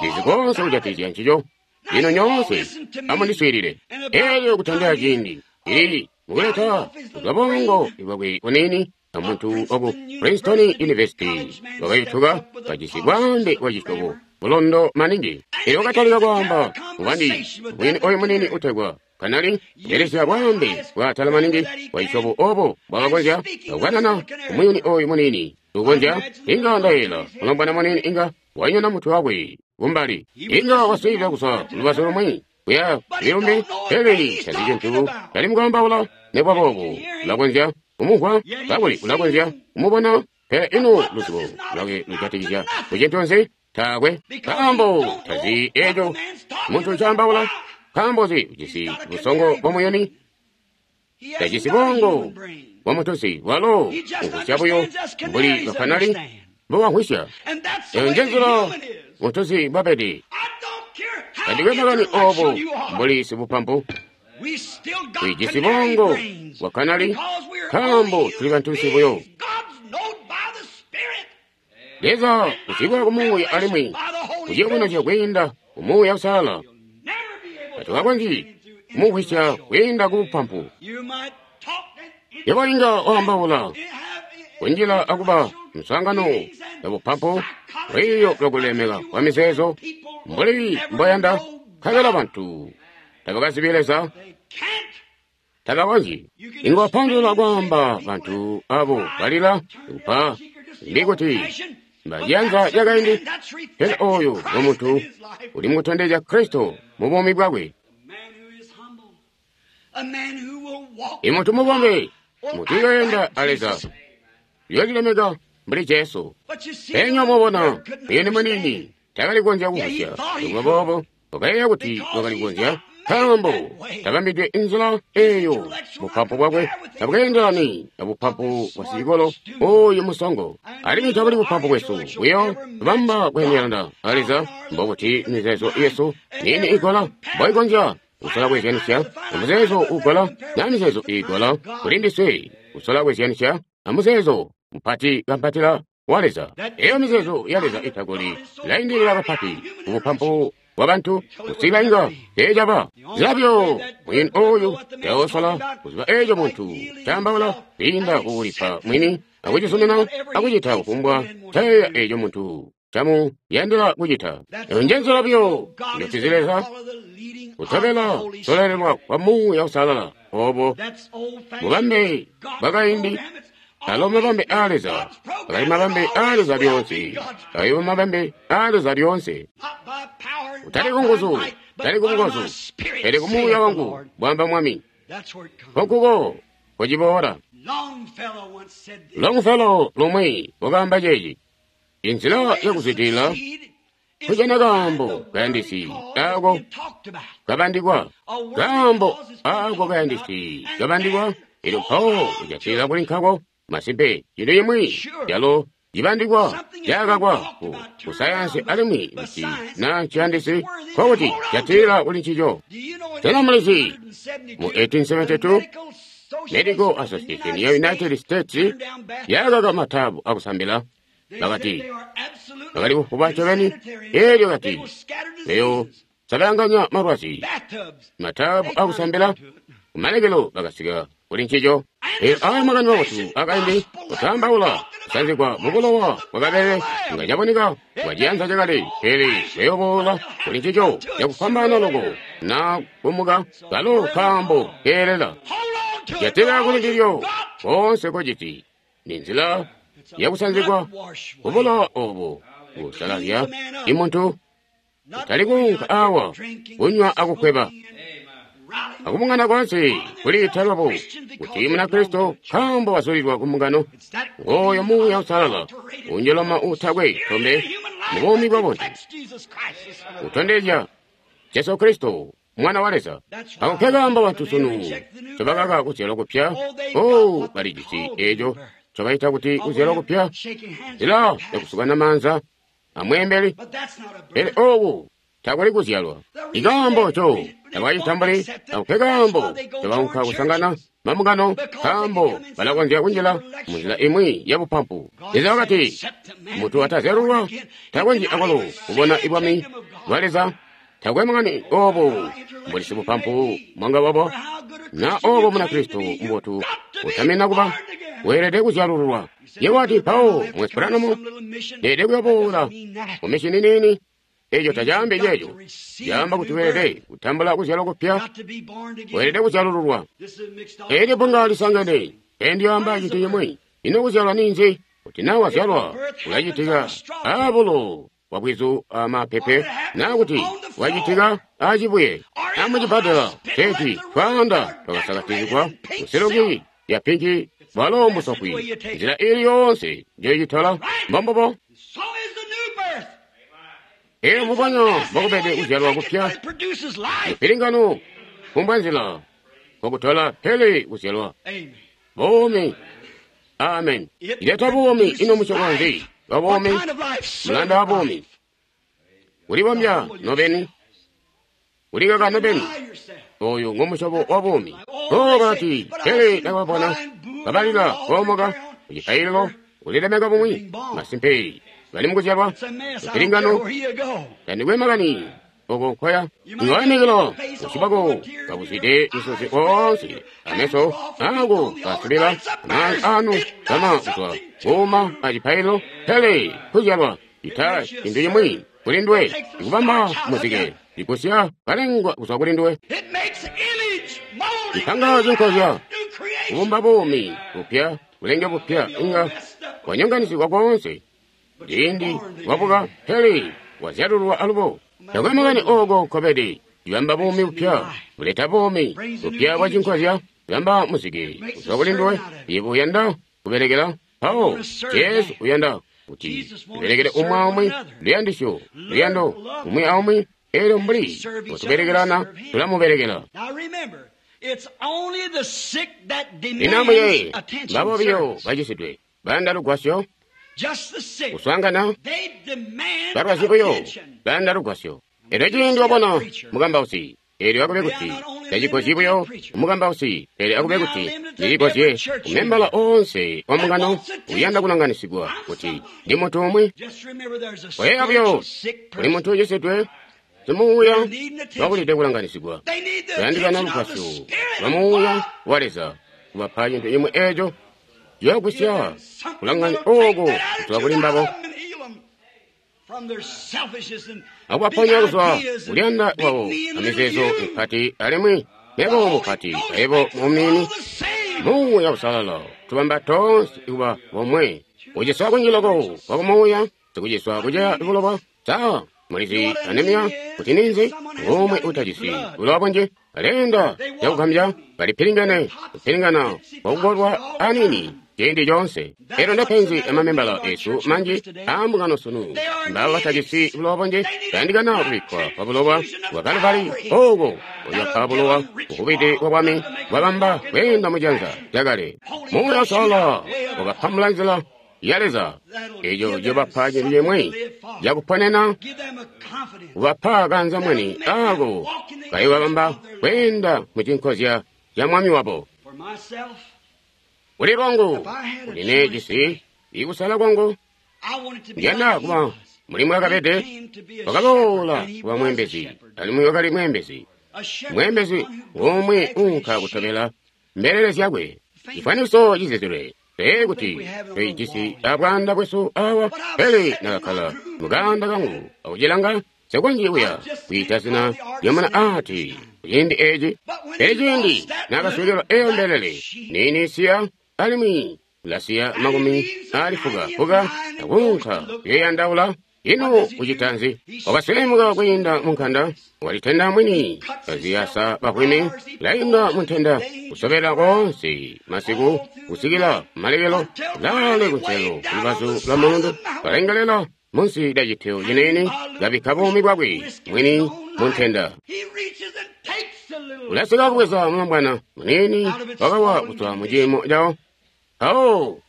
ndizi konse kujatikizya ncico. Lino nyoonse amundiswiilile. Elyo kutandila ciindi ili mukuleta kuzwa bongo bwakwe bunini amuntu waku Princeton University wakayituka kajisi bwaambe bwa cisyobo bulondo maningi. Elyo wakatalika kwaamba mubandi mwini oyu munini utegwa kanali kubelesya bwaambe bwaatala maningi bwa cisyobo obo bwakakonzya kukanana kumuyuni oyu munini ukonzya inga ndayela mulombwana munini inga wanyona mutwe wakwe kumbali inga waswiilila kuzwa lubazu lumwi kuya kulumbi, pele tazi cintu tali mukwambaula. Nekuba boobo ulakonzya kumumvwa kakuli ulakonzya kumubona. Pele ino luzibo lwakwe lujatikizya kucintu nzi? Taakwe. Nkaambo tazi eco muntu ncaambaula. Nkaambo zi ujisi busongo bwa muyuni. Tajisi bongo bwa mutusi. Walo umvwisya buyo mbuli bakanali mbobamvwisya. Eyo njenzila mutusi mbwabede. Tandikwe makani obo mbuli sibupampu. Tulijisi bongo bwa kanali nkaambo tuli bantunsi buyo. Leza kuzibwa kumuuya alimwi kuciyubunuzya kwiinda kumuuya usalala. Tatukakonzyi kumumvwisya kwiinda kubupampu. Yebo inga waambaula kunjila akuba muswaangano ya bupampu, lwiiyo lwakulemeka kwa mizeezo mbuli mboyanda, nkabela bantu tabakazibi Leza, tabakonzyi. Inga wapandulula kwaamba bantu abo balila kupa mbi kuti mbaciyanza cakaindi, pele oyo ngomuntu uli mukutondezya Kristo mu buumi bwakwe. Imuntu mubombe, muntu uyoyenda a Leza, uyoolilemeka mbuli Jesu. Penya mubona muyuni muniini takali kukonzya kumvwisya. Nokuba boobo wakayeeya kuti wakali kukonzya, nkaambo tabambidwe inzila eeyo. Bupampu bwakwe tabukeendelani abupampu bwa sicikolo oyu musongo. Alimwi tabuli bupampu bwesu buyo bamba kweendelana a Leza, mbokuti mizeezo yesu niini igola mboikonzya kusola kweezyanisya amuzeezo ugola na mizeezo iigola kuli ndiswe kusola kweezyanisya amuzeezo mupati kampatila wa Leza. Eyo mizeezo ya Leza itagoli ilaindilila kapati kubupampu bwa bantu kusikila inga teecaba zilabyo. Mwini oyu taosola kuziba eco muntu caambaula kwiinda kukulipa mwini akucizumina akucita kufumbwa cayeeya eco muntu camuyandila kucita. Eyo njenzila buyo njotuzi Leza kutobela kusololelwa kwa Muuya Usalala. Obo bubambe bwakaindi alo mabambe aa Leza akali mabambe aa Leza lyoonse, ayo mabambe aa Leza lyoonse. Utali kunguzu, utali kubukozu, pele kumuuya wangu, bwamba Mwami. Nkonkuko kociboola. Longfellow lumwi wakaamba ceeci: inzila yakuzwidilila kujana kaambo kayandisi ako kabandikwa, kaambo ako kayandisi kabandikwa, elyo mpawo kujatilila kuli nkako. Masimpe, cintu cimwi calo cibandikwa cakakwa ku kusayansi alimwi kuti na ciyandisi nkokuti jatilila kuli ncico. Sena mulizi mu eighteen seventy-two Medical Association ya United States yakaka mataabu akusambila. Bakati bakali kufuba ncobeni, elyo kati eyo sabalanganya malwazi mataabu akusambila. Kumalekelo bakasika kuli ncico. Elyo aya makani mabotu akaindi kutaambaula kusanzigwa mubulowa bwakabele nga caboneka bwa ciyanza cakale, pele bayoboola kuli ncico cakufwambaana loko na kumuka kalo kaambo keelela. Jatila kuli ndilyo koonse kociti ni nzila yakusanzigwa kubulowa obo busalazya imuntu utali kuunka awa kunywa akukweba akubungana konse kuliita lwabo kuti Munakristo nkaambo wazulilwa kumbungano. Ngooyo Muuya Usalala unjoloma utakwe tombe mu buumi bwa buntu utondezya Jesu Kristo Mwana wa Leza. Ako nkekaambo bantu sunu ncobakaka kuzyalwa kupya. Oh, balijisi eco ncobaita kuti kuzyalwa kupya, nzila yakusukana maanza amweembeli, pele oku takuli kuzyalwa. Ikaambo co tabakacitambuli, ako nkekaambo ncobaunka kusangana mambungano, nkaambo balakonzya kunjila munzila imwi yabupampu. Leza wakati muntu atazyalulwa takonzyi akwalo kubona ibwami bwa Leza. Takwe makani obo mbuli sibupampu mwanga wabo na obo Munakristo mubotu utamina kuba weelede kuzyalululwa. Yebo wati mpawo mwesperanomu ndeede kuyoboola mu mishini niini. Eco tacaambi ceeco. Caamba kuti weelede kutambula kuzyalwa kupya, weelede kuzyalululwa. Eelyo bbunga lisangene endiyamba cintu cimwi. Ino kuzyalwa ninzi? Kuti naa wazyalwa ulacitika aabulo bwabwizu amapepe, naa kuti wacitika aacibuye amucibbadela teeti twaanda twakasakatizigwa kusiluki ya pinki bwalo musokwi. Nzila ili yoonse njoyicitola mbombubo. Eyo mbubonya mbokubede kuzyalwa kupya. Mpilingano kumbwa nzila kokutola pele kuzyalwa. Buumi. Amen. Ileta buumi ino musyobo nzi wa buumi? Mulanda wa buumi. Kulibombya nobeni. Kulikaka nobeni. Oyu ngomusyobo wa buumi. Oh, bakati, pele ndakababona kabalila koomoka kucipaililo kulilemeka bumwi. Masimpe bali mukuzyalwa. Mpilingano tandikwe makani oko nkoya. Ingaimikila busyu kabuzwide misozi oonse ameso ako kasubila amaanza anu kama kuzwa kuuma acipaililo pele kuzyalwa cita cintu cimwi kuli nduwe ikubamba muzike ikusya kalengwa kuzwa kuli nduwe ipanga cinkozya kubumba buumi bupya bulenge bupya inga wanyonganisigwa koonse ciindi wabuka pele wazyalulwa alubo. Takwe makani oko nkobede ibamba buumi bupya buleta buumi bupya bwa cinkozya ibamba muzike kuzwa kuli nduwe. Yebo uyanda kubelekela mpawo Jesu uyanda kuti tubelekele umwi aumwi luyandisyo luyando umwi aumwi. Elyo mbuli mbotubelekelana tulamubelekela. Lino amuyeeye mbabo biyo bacisidwe bayanda lugwasyo kuswaangana balwazi buyo bayanda lugwasyo. Elyo ciindi wabona mukambausi, elyo akube kuti tacigozyi buyo mukambausi, pele akube kuti ndicigozye kumembala oonse wa mbungano uyanda kulanganisigwa kuti ndi muntu umwi. Koyeeya buyo kuli muntu ucisidwe simuuya wakulide kulanganisigwa. Bayandikana lugwasyo lwa muuya wa Leza kubapa cintu cimwi eeco ciyogwisya kulanganya ooko kuzwa kuli mbabo akubaponya kuzwa kuliyanda kwabo amizeezo mipati alimwi mebo mupati aibo mumiini. Muuya Usalala tubamba toonse kuba bomwe. Kuciswa kunji loko kwakumuuya sikuciswa kuceya bulowa. Sa mulizi anemia kuti ninzi ngumwe utajisi bulowa bunji alenda cakugambya balipilingene kupilingana kwakukolwa anini ciindi coonse. Elyo ndepenzi amamembala esu manji aambungano sunu mbabo batajisi bulowa bunji bayandikana kubikkwa kwa bulowa bwa Kalvari oko uyapa bulowa bukubide bwa bwami bwabamba kweenda mujanza lyakale. Muuya Usalala wakapamula nzila ya Leza eco cibapa cintu cimwi cakuponena kubapa kanza mwini ako kayobabamba kweenda mucinkozya ca mwami wabo. Kuli lwangu kuli nejisi ikusala kwangu ndiyanda kuba muli mwakabede wakaboola kuba mwembezi alimwi wakali mwembezi. Mwembezi ngomwe unka kutobela mbelele zyakwe. Cifwanikiso cizizilwe pee kuti toijisi abwaanda bwesu awa, pele nakakkala mukanda kangu akucilanga sekonji kuya kwiita zina lyamuna ati kuciindi eci. Pele ciindi nakaswekelwa eyo mbelele niini siya alimwi lasiya makumi ali fuka fuka akunka kuyoyandaula. Ino kucita nzi? Wakaselemuka kwiinda munkanda, walitenda mwini kaziyasa bahwimi, lainda muntenda kusobela koonse masiku kusikila malekelo lale kunselo kulubazu lwa mulundu kalengelela munsi lya citeo ciniini kabikka buumi bwakwe mwini muntenda. Ulasika kubweza mulombwana muniini wakawa kuzwa muciimo cawo mpawo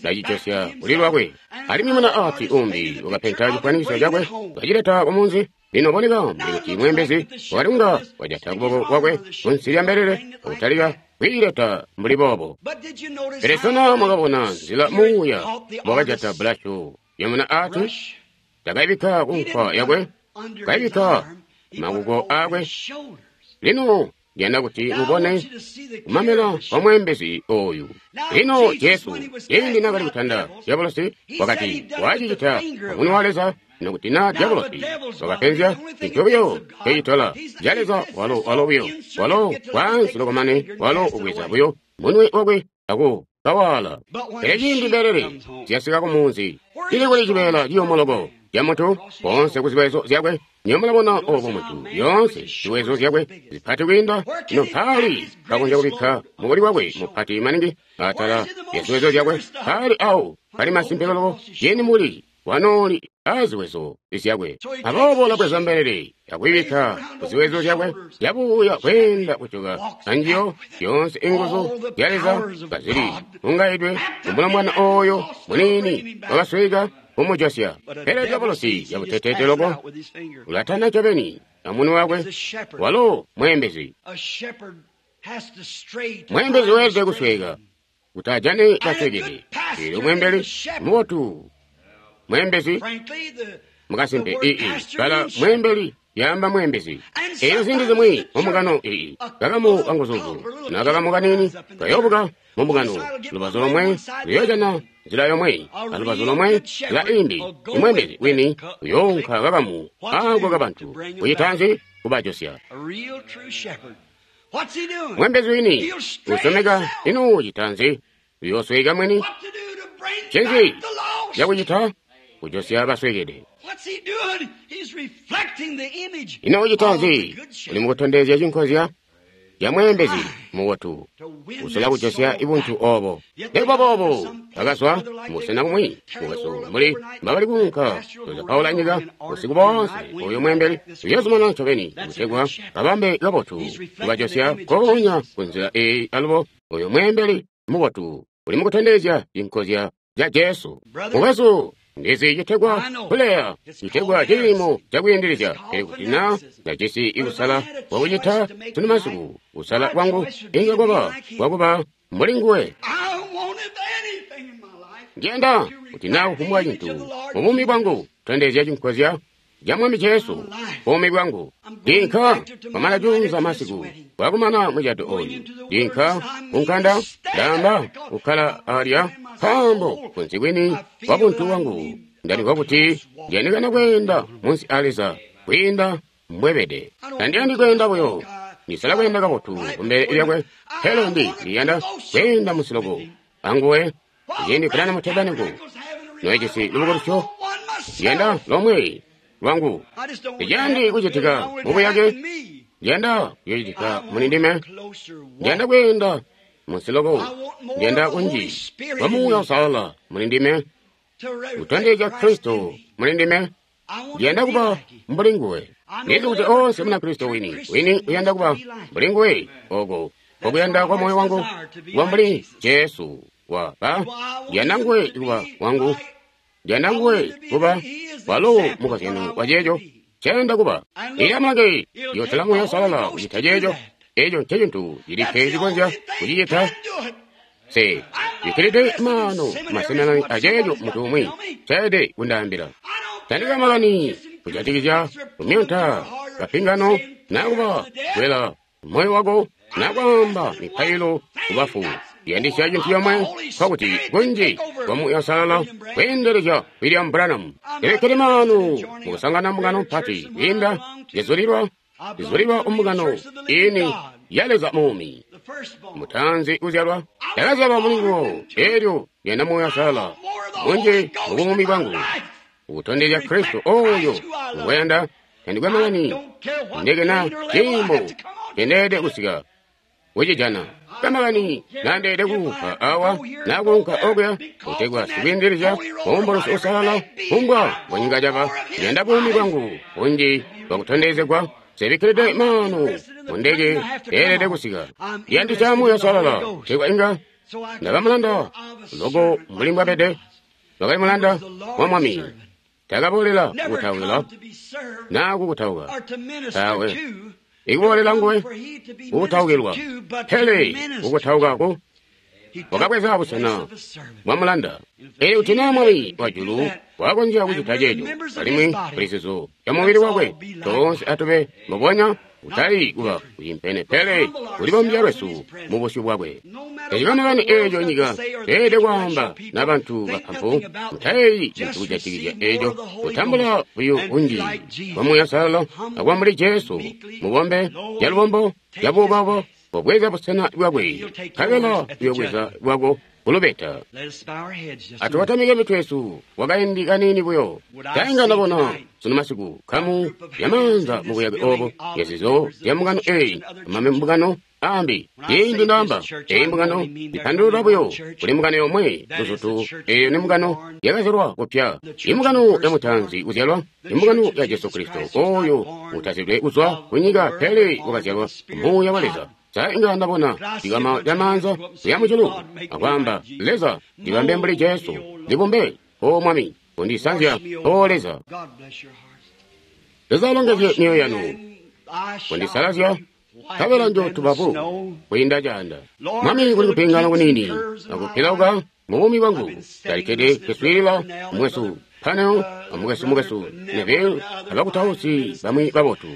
lacicosya kuli lwakwe. Alimwi muna ati umbi wakapenta cifwanikiso cakwe kacileta kumunzi. Lino boneka mbuli kuti mwembezi wakali kunga wajata kuboko kwakwe kunsi lya mbelele akutalika kwiileta mbuli boobo. Pele sena mwakabona nzila muuya wakajata bulashu ya muna ati? Takaibikka kunkwa yakwe, kaibikka makuko akwe. Lino ndiyanda kuti mubone kumamela kwa mwembezi oyu. Lino Jesu ciindi nakali kutanda dyabolosi wakati wacicita amunwe wa Leza nokuti na dyabolosi wakapenzya cintu buyo cecitola ca Leza walo walo buyo walo wansi lokomane walo ubweza buyo munwe wakwe aku kawala. Pele ciindi mbelele zyasika kumunzi cili kuli cibeela ciyomoloko ca muntu koonse ku ziwezo zyakwe. Niyo mulabona obo muntu yoonse ziwezo zyakwe zipati kwiinda ino mpaali kakonzya kubikka mukuli wakwe mupati maningi atala ya ziwezo zyakwe. Mpaali awo pali masimpe loko ciindi muli wanooli aziwezo zyakwe. Aboobo ulabweza mbelele akuyibikka kuziwezo zyakwe, yabuya kweenda kujoka anjiyo. Zyoonse inguzu zya Leza kazili ungaidwe kumulombwana oyo muniini wakasweka kumujosya. Pele dyabolosi yabuteteete loko ulatana ncobeni amunwe wakwe. Walo mweembezi. Mweembezi weelede kusweka kuti ajane kaswekede. Eelyo mweembeli mubotu, mweembezi mukasimpe ii bala mweembeli yaamba mweembezi. Eelyo ziindi zimwi mumbungano ii kakamu kanguzuzu na kakamu kaniini kayoobuka mumbungano, lubazu lomwe luyoojana nzila yomwe alubazu lomwe nzila imbi. Imweembezi wini uyoonka kakamu aako kabantu kucitanzi kubajosya. Mweembezi wini usyomeka ino citanzi uyoosweka mwini. Ncinzi cakucita kujosya baswekede? Ino ucitanzi? Uli mukutondezya cinkozya ca mweembezi mubotu usola kujosya ibuntu obo. Nikuba boobo bakazwa mubusena bumwi mukwesu mbuli mbabali kuunka kuzapaula nyika busiku boonse. Oyo mweembeli uyozumanana ncobeni kutegwa babambe kabotu kubajosya nkoonya kunzila eyi. Alubo oyo mweembeli mubotu uli mukutondezya cinkozya ca Jesu. Mukwesu, ndizi citegwa kuleya, citegwa ciimo cakwiindilizya. Pele kuti na ndajisi kusala kwakucita sunu masiku, kusala kwangu inga kwaba kwakuba mbuli nguwe. Ndiyanda kuti na kufumbwa cintu mubuumi bwangu kutondezya cinkozya ca Mwami Jesu buumi bwangu. Ndinka kwamana juunza masiku bwakumana mucado oyu, ndinka kunkanda, ndaamba kukkala alya, nkaambo kunsi kwini kwa buntu bwangu ndalimvwa kuti ndiyandikana kweenda munsi a Leza kwiinda mbwebede. Tandiyandi kweenda buyo, ndisala kweenda kabotu kumbele lyakwe, pele ndi ndiyanda kweenda munsi loko anguwe. Ciindi kulana mutebaniko noijisi lubukulusyo, ndiyanda lomwe lwangu. Ndiyandi kucitika mubuyake, ndiyanda kucitika muli ndime, ndiyanda kweenda munsi loko, ndiyanda kunji kwa Muuya Uusalala muli ndime, kutondezya Kristo muli ndime. Ndiyanda kuba mbuli nguwe. Ndizi kuti onse muna Kristo wini wini uyanda kuba mbuli nguwe. Oko kokuyanda kwa moyo wangu kuba mbuli Jesu wa ba. Ndiyanda nguwe kuba wangu, ndiyanda nguwe kuba walo mukozyano wa ceeco nceyanda kuba. Ili amulange yotola Muuya Uusalala kucita ceeco. Eco ncecintu cilikke cikonzya kucicita. Se bikkilide maano maseminari aceeco muntu umwi ncaelede kundaambila. Tandika makani kujatikizya kumyonta kapingano nakuba kwela moyo wako nakwaamba mipailo kubafu. Ndiyandisya cintu comwe, nkokuti kunji kwa Muuya Uusalala kweendelezya William Branham. Ndibikkile maanu mukusangana mbungano mpati kwiinda zizulilwa zizulilwa mbungano ini ya Leza muumi. Mutanzi kuzyalwa ndakazyalwa muli nguwo. Eelyo ndiyanda Muuya Uusalala munji mubuumi bwangu ukutondezya Kristo oyo ngweyanda. Tandikwe makani ndeke na ciimo ncendeelede kusika kucijana, kamakani nandeelede kuunka awa nakuunka okuya kutegwa sikwiindilizya mumbulusi uusalala kumbwa bwanyika caba. Ndiyanda buumi bwangu bunji bwakutondezegwa. Nsebikkilide maanu mundeke ndeelede kusika. Ndiyandisya Muuya Uusalala kutegwa inga ndaba mulanda loko mbuli mbwabede. Wakali mulanda wa Mwami, takaboolela kukutaukila naa kukutauka tawe, ikuboolela nguwe kukutaukilwa, pele kukutaukako wakabweza busena bwa mulanda. Elyo kuti naa Mwami wajulu wakonzya kucita ceeco, alimwi kulizizo ya mubili wakwe toonse atube mbubonya, kutali kuba kucimpene, pele kulibombya lwesu mu busyu bwakwe. Tacikamakani eeco nyika teelede kwaamba na bantu bapampu, mutayeeyi cintu kujatikizya eeco. Kutambula buyo kunji kwa Muuya Uusalala akuba mbuli Jesu, mubombe calubombo cabuubauba, pobweza busena bwakwe, nkabela uyobweza bwako kulubeta. Atubatamike mitwe yesu kwakaindi kaniini buyo. Tainga ndabona sunu masiku kamu yamaanza mubuyake obo yazizo zya mbungano eyi amambungano ambi. Ciindi ndaamba eyi mbungano ipandulula buyo kuli mbungano yomwe luzutu, eyo ni mbungano yakazyalwa kupya, imbungano ya mutaanzi kuzyalwa, imbungano ya Jesu Kristo oyo utazidwe kuzwa kunyika pele wakazyalwa Muuya wa Leza. Sa inga ndabona cikama ca maanza kuya mujulu akwaamba, Leza, ndibambe mbuli Jesu, ndibumbe, O Mwami, kundisanzya, O Leza. Leza alongezye mioyo yanu, kundisalazya, nkabela njotuba bu kwiinda caanda. Mwami, kuli kupingana kuniini akupilauka mu buumi bwangu. Ndalikede kuswiilila mukwesu Panel amukwesu mukwesu Neville abakutausi bamwi babotu,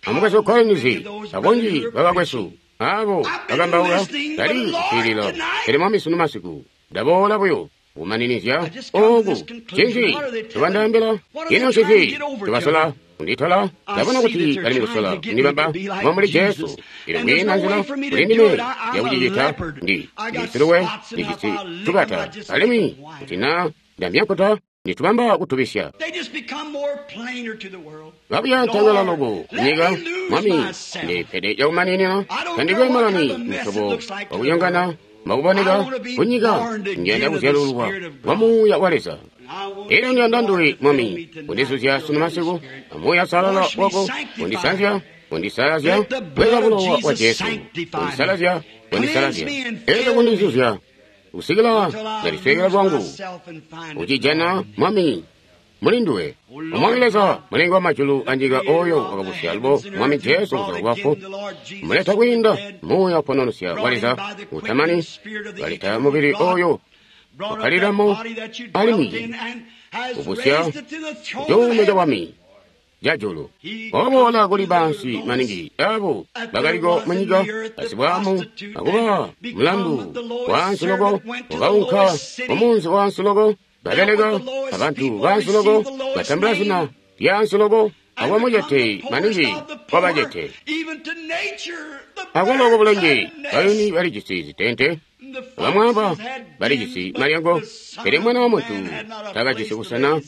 amukwesu Collins, abonji babakwesu abo bakambaula. Ndali kuswiilila, pele Mwami sunu masiku ndaboola buyo kumaninizya oku. Cinzi tubandaambila? Ino cinzi tubasola kunditola? Ndabona kuti bali mukusola kundibamba mbuli Jesu. Ilo kwiina nzila kuli ndime yakucicita. Ndi ndisiluwe, ndijisi tukata, alimwi kuti na ndamyakuta nditubamba kutubisya. Babuya ntangala loko kunyika. Mwami, ndipede yakumaninina. Tandikwe malani musyobo wakuyongana mbakuboneka kunyika. Ndiyanda kuzyalululwa kwa Muuya wa Leza. Elyo ndiyanda nduwe, Mwami, kundizuzya sunu masiku amuuya salala wako, kundisanzya, kundisalazya, bweza bulowa bwa Jesu, kundisalazya, kundisalazya, elyo kundizuzya kusikila ndaliswekela lwangu ucijana, Mwami, muli nduwe. Omwami Leza, mulengi wa majulu anyika, oyo wakabusya alubo Mwami Jesu kuzwa kubafu, muleta kwiinda Muuya upononosya wa Leza utamani, kaleta mubili oyo ukkalilamo alimwi ubusya cuuno ca bwami ca julu. Waboola kuli bansi maningi abo bakaliko munyika, basibwamu akuba mulandu wansi loko, wakaunka mumunzi wansi loko, babeleka abantu bansi loko, batambula zina lyansi loko, akuba mucete maningi kwabacete. Akuloko bulenje bayuni balijisi zitente, bamwaba balijisi malyango, pele Mwana wa Muntu takajisi busena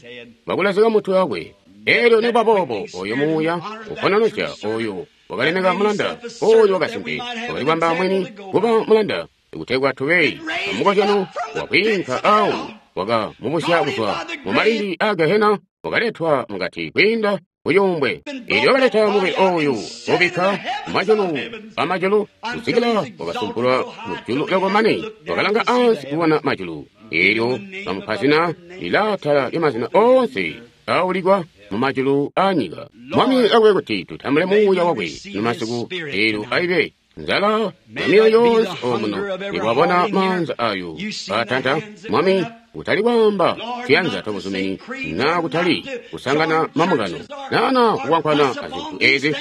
bwakulazika mutwe wakwe. Elyo nikuba boobo oyo Muuya upononosya oyo wakalemeka mulanda oyo wakasimpe, wakalibamba mwini kuba mulanda kutegwa tube amukozyano wakwiinka awo, wakamubusya kuzwa mu malindi a Gehena, wakaletwa mukati kwiinda kucuumbwe. Elyo wakaleta mubili oyu ubikka mumajulu amajulu kusikila wakasumpulwa mujulu loko mane wakalanga ansi kubona majulu. Elyo bamupa zina lilaatala lyamazina oonse aulikwa mumajulu anyika. Mwami akube kuti tutambule Muuya wakwe numasiku. Elyo aibe nzala ya mioyo yonse omuno nikwabona maanza ayo atanta. Mwami, kutali kwaamba tuyanza twabuzumini, na kutali kusangana mamungano, nana kukwankwana azintu ezi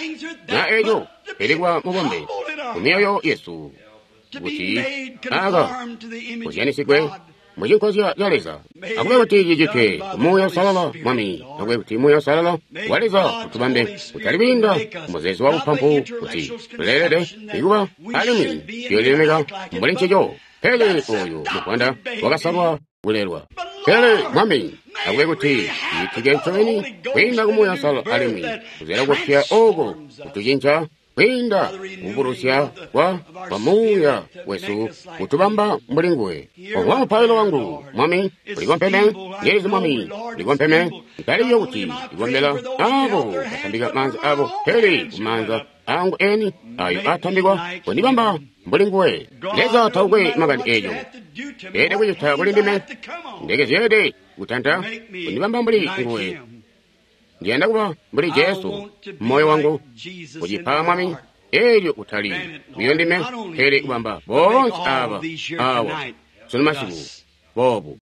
na eco, pele kuba mubombe kumioyo yesu kuti aka kuzyanisigwe mucinkozya ca Leza. Akube kuti cicitwe Muuya Usalala, Mwami. Akube kuti Muuya Usalala wa Leza utubambe kutali kwiinda muzeezo wa bupampu kuti tuleelede ikuba alimwi tuyoolilemeka mbuli ncico, pele oyu muvwanda wakasalwa kulelwa. Pele Mwami, akube kuti cicitike ncobeni kwiinda ku Muuya Usalala alimwi kuzyala kupya oko kutucinca kwiinda kubulusya kwa kwa Muuya wesu kutubamba mbuli nguwe. Owa mupailo wangu, Mwami, ulikompeme. Ndilizi, Mwami, ulikompeme. Ntaliyo kuti ndikombela abo batambika maanza abo, pele kumaanza angu eni ayo atambikwa kundibamba mbuli nguwe. Leza taukwe makani eco ede kucita kuli ndime, ndeke zyeede kutanta kundibamba mbuli nguwe. Ndiyanda kuba mbuli Jesu moyo wangu kucipa, Mwami, elyo kutali buyo ndime, pele kubamba boonse aba awa sunu masiku boobu.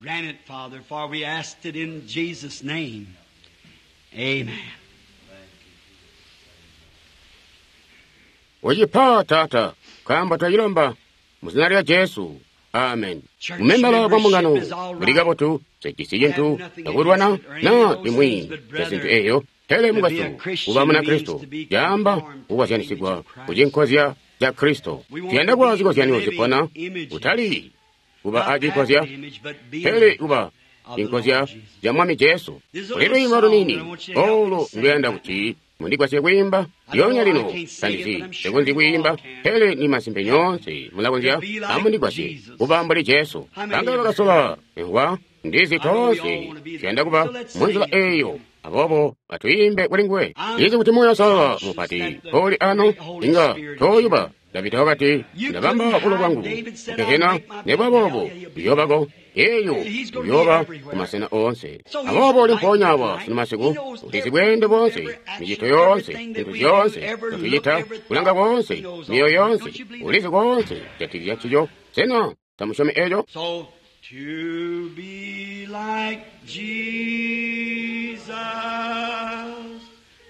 Ucipa, Taata, nkaambo twacilomba muzina lya Jesu. Amen. Mumembala bwa mbungano buli kabotu, sejisi cintu cakulwana na imwi ya zintu eyo, pele mukwesu, kuba Munakristo caamba kukozyanisigwa kucinkozya ca Kristo. Tuyanda kuba zikozyanyo zipona, kutali kuba a cinkozya, pele kuba cinkozya ca Mwami Jesu. Kuli lwiimbo luniini olu nduyanda kuti mundigwasye kwiimba lyoonya lino. Tandizi nsekonzyi kwiimba, pele ni masimpe nyoonse mulakonzya. Amundigwasye kuba mbuli Jesu. Banga bakasola mvwa ndizi toonse tuyanda kuba munzila eyo. Aboobo atwiimbe kuli nguwe. Ndizi kuti Muuya Uusalala mupati uli ano inga toyuba. Davida wakati, ndabamba bulo bwangu kugehena, nekuba boobo uyoobako eyo uyooba kumasena oonse. Aboobo uli mpoonya awa sunu masiku, ulizi bweende boonse, micito yoonse, zintu zyoonse nzotucita, kulanga koonse, myoyo yoonse, ulizi koonse kujatikizya ncico. Sena tamusyomi eco? So to be like Jesus,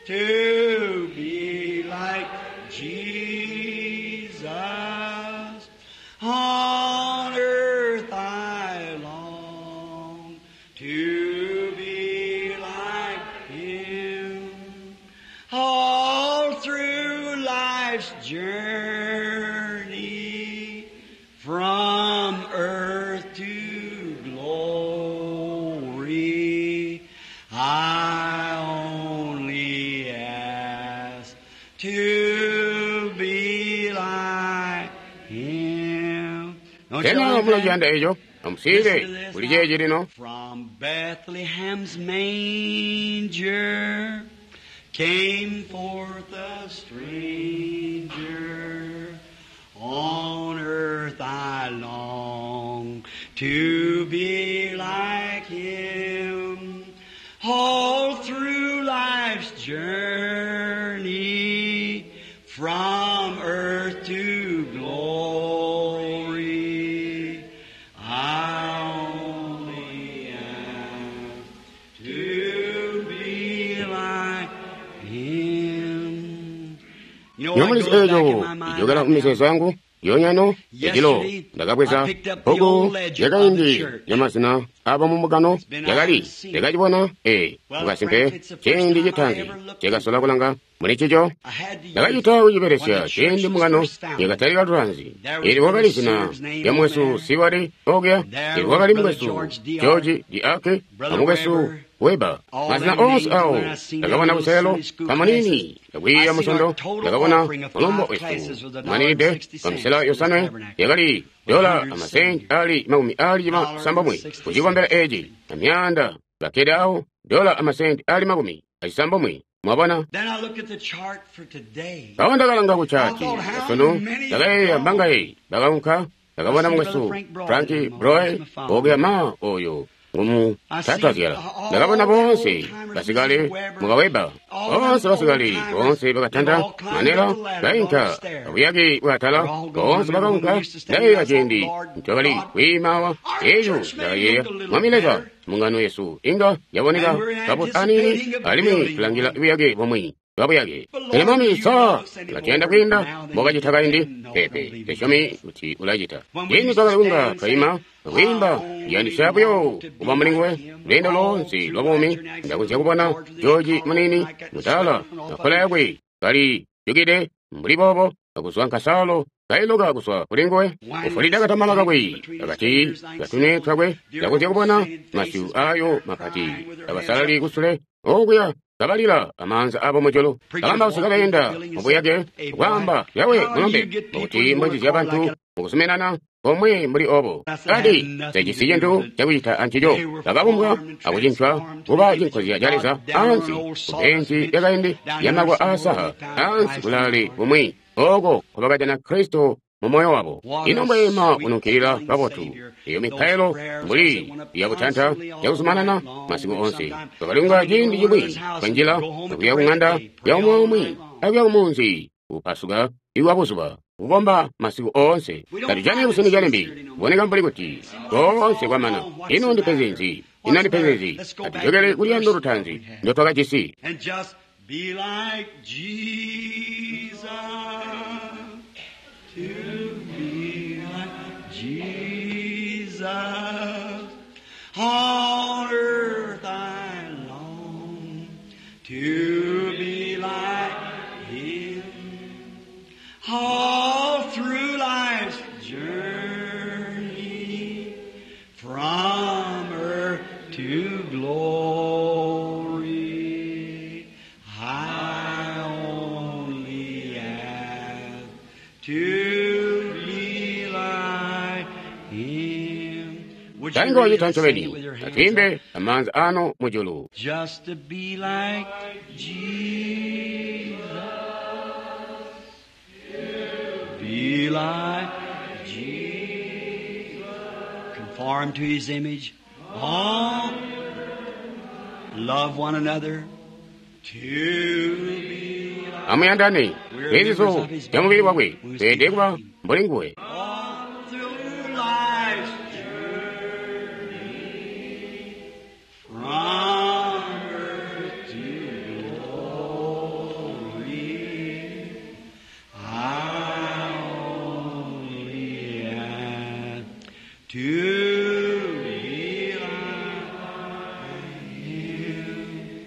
to be like Jesus, on earth I long to be like Him. All through life's journey, from earth to glory, I only ask to be like Him. Don't you Sena like that? mulaciyanda eco? Amusiile kuli ceeci lino. From Bethlehem's manger came forth a stranger. On earth I long to be like him. All through life's journey, from earth to glory, I only ask to be like him. You know what Nyomulizi goes back eco in my mind ijokera right mu mizeezo now? yangu yonyano ejilo Yesterday, ndakabweza I picked up the bbuku old ledger of the lyakaindi church. lyamazina abo mumugano been lyakali out of the lyakacibona ee Well, mukasimpe Frank, it's the first ciindi time I citaanzi ever looked cakasola kulanga muli ncico. I had to use Ndakacita it when kucibelesya the church ciindi was mungano first founded. yakatalika lutanzi. There was Ili wakali Brother zina Sears' name lya on mwesu there. Siwali okuya, There ili was wakali Brother mukwesu George D. George Diake Brother amukwesu Weber. Weba. All Mazina them onse names awo when I seen them ndakabona little kuselo Sunday school kamanini classes. ndakwiiya I seen musondo our total ndakabona offering of mulumbo five classes wesu was a dollar manilide and sixty pa misela cents to yosanwe this tabernacle. yakali dola One hundred amasenti seventy. ali makumi ali Dollar and masambomwe sixty kucikombera cents. eci amyanda bakkede awo dola amasenti ali makumi acisambomwe. Mwabona? Then I looked at the chart for today. Pawo ndakalanga ku I chati thought how asunu many ndakayeeya gone. mbangayi bakaunka. Ndakabona I see mukwesu Brother Frank Broy Frank in the Broy my father. okuya ma oyo ngumu I see tatazyala. all Ndakabona them old bonse timers, basikale Missus Weber, mukaweba all bonse them old basikale timers, bonse they've bakatanda all climbed manera up the ladder, gone bainka upstairs. abuyaki bwatala They're all gone. bonse I remember when we bakaunka. used to stand Ndayeeya there, I thought, ciindi Lord ncobali God, kwiimawa our eco church may ndakayeeya look a little Mwami Leza better. mungano yesu inga yaboneka And we're kabotu aniini anticipating a alimwi building tulangila one. buyake bomwe bwabuyake. But Pele Lord, Mwami you sa love us any ulatuyanda more kwiinda now than you mbokacita did kaindi? then? No, I don't Pepe believe you tesyomi do. kuti ulacita. When we Ciindi used to twakali stand kunga and say, twaima I kwiimba only yandisya buyo want to be kuba muli like nguwe him lweendo all lonse through lwa life's buumi. journey. I see Ndakonzya little kubona George with his George collar on munini like that, the mutala sweat running off of makola him. yakwe kali jukide mbuli boobo akuzwa nkasalo kailoka kuzwa kuli nguwe Winding ufulida his katamala hand kakwe between his akati fingers, I can see katune those twakwe. dear Ndakonzya old kubona sainted masyu faces back ayo there mapati crying with their hands abasalali up. kusule okuya kabalira amaanza abo mujulu. Preachers Kalambausi walked through the kabayenda building and said, mubuyake Hey, boy, kwaamba yawe how do you mulombe get people mukuti in one mbonjizya accord bantu like that? mukuzuminana komwe mbuli obo. I said, Kati had nothing to tecisi do cintu with it. cakucita ancico. They were Bakabumbwa formed and akucincwa transformed to kuba the image cinkozya of ca Leza God down on ansi an old ku sawdust benci bench lyakaindi down yonder lyamakwa somewhere aasaha they found ansi Christ in their kulaale heart. kumwi oko nkobakajana Kristo mu moyo wabo. What Ino a mbweema sweet kununkilira feeling kabotu Savior. eyo Those mipailo prayers as they mbuli went up yabutanta constantly all yakuzumanana night long masiku and onse. sometime Bakalinga coming to ciindi one cimwi another's house and kanjila go home at the akuya ku break of ŋanda day, pray ya umwi all aumwi night long. akuya kumunzi kupasuka iwa buzuba kukomba masiku oonse. We don't Tatujani find it kusini calimbi sincerity no more. kuboneka mbuli kuti Seems like it's koonse all kwamana. gone. What's Ino the ndipenzi matter? nzi? Ino What's the ndipenzi matter? nzi? Let's go back to Atujokele the kuluyando first love lutanzi we had. ndotwakajisi. And just be like Jesus. To be like Jesus. On earth I long to be like Him. All through life's journey, glory. I only ask to be like Him. Would you Tango really chita sing ncobeni it with your hands atwimbe up? amaanza ano mujulu. Just to be like Jesus. Be like Jesus. Conform to His image. All love one another. To be like Amuyandane kwezizo zya mubili wakwe tweelede kuba mbuli nguwe. all through life's journey from earth to glory. I only ask to be like Him.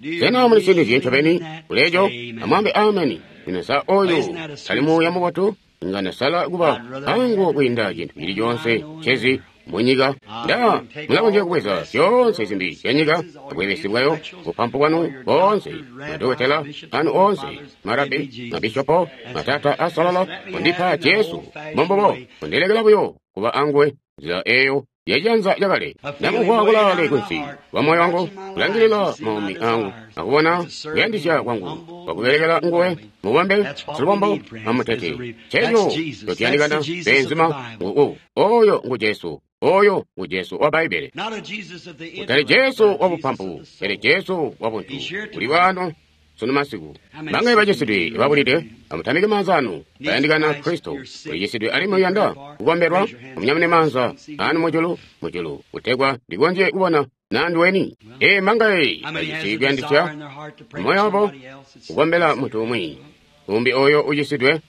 Do you Sena mulisinizye believe ncobeni that? kuleejo Amen. amwambe ameni. Ino sa oyo tali muuya mubotu nga nasala kuba anguwo kwiinda cintu cili coonse cezi munyika. Nda mulakonzya kubweza zyoonse zimbi zyanyika, bwebesi bwayo, bupampu bwanu boonse, madokotela anu oonse, marabi, mabishopo, matata asalala, kundipa Jesu mbombobo, kundilekela buyo kuba anguwe nzila eyo yajanza yakale. Ndamumvwa kulaale kunsi kwa moyo wangu, kulangilila maumi angu, akubona kuyandisya kwangu kwakubelekela nguwe mubambe silubombo amutete. Checho chotiyandikana benzima ngu oyo ngu Jesu, oyo ngu Jesu wa Bbaibele. Not a Jesus of the Kutali intellect, Jesu but a wa Jesus bupampu, of the soul. pele Jesu wa buntu. Uli wano sunu masiku. Bangaye bacisidwe babulide, amutamike maanza anu, bayandikana Kristo. Ulichisidwe alimwi uyanda kukombelwa, amunyamune maanza anu mujulu, mujulu, kutegwa ndikonzye kubona nanduweni. Ee mangaye How many has bacisi a kuyandisya desire in their heart to pray for moyo wabo somebody else? It's- kukombela munthu umwi, umbi oyo ucisidwe.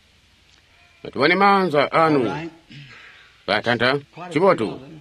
Atubone maanza All anu right. batanta Quite a few chibotu of them.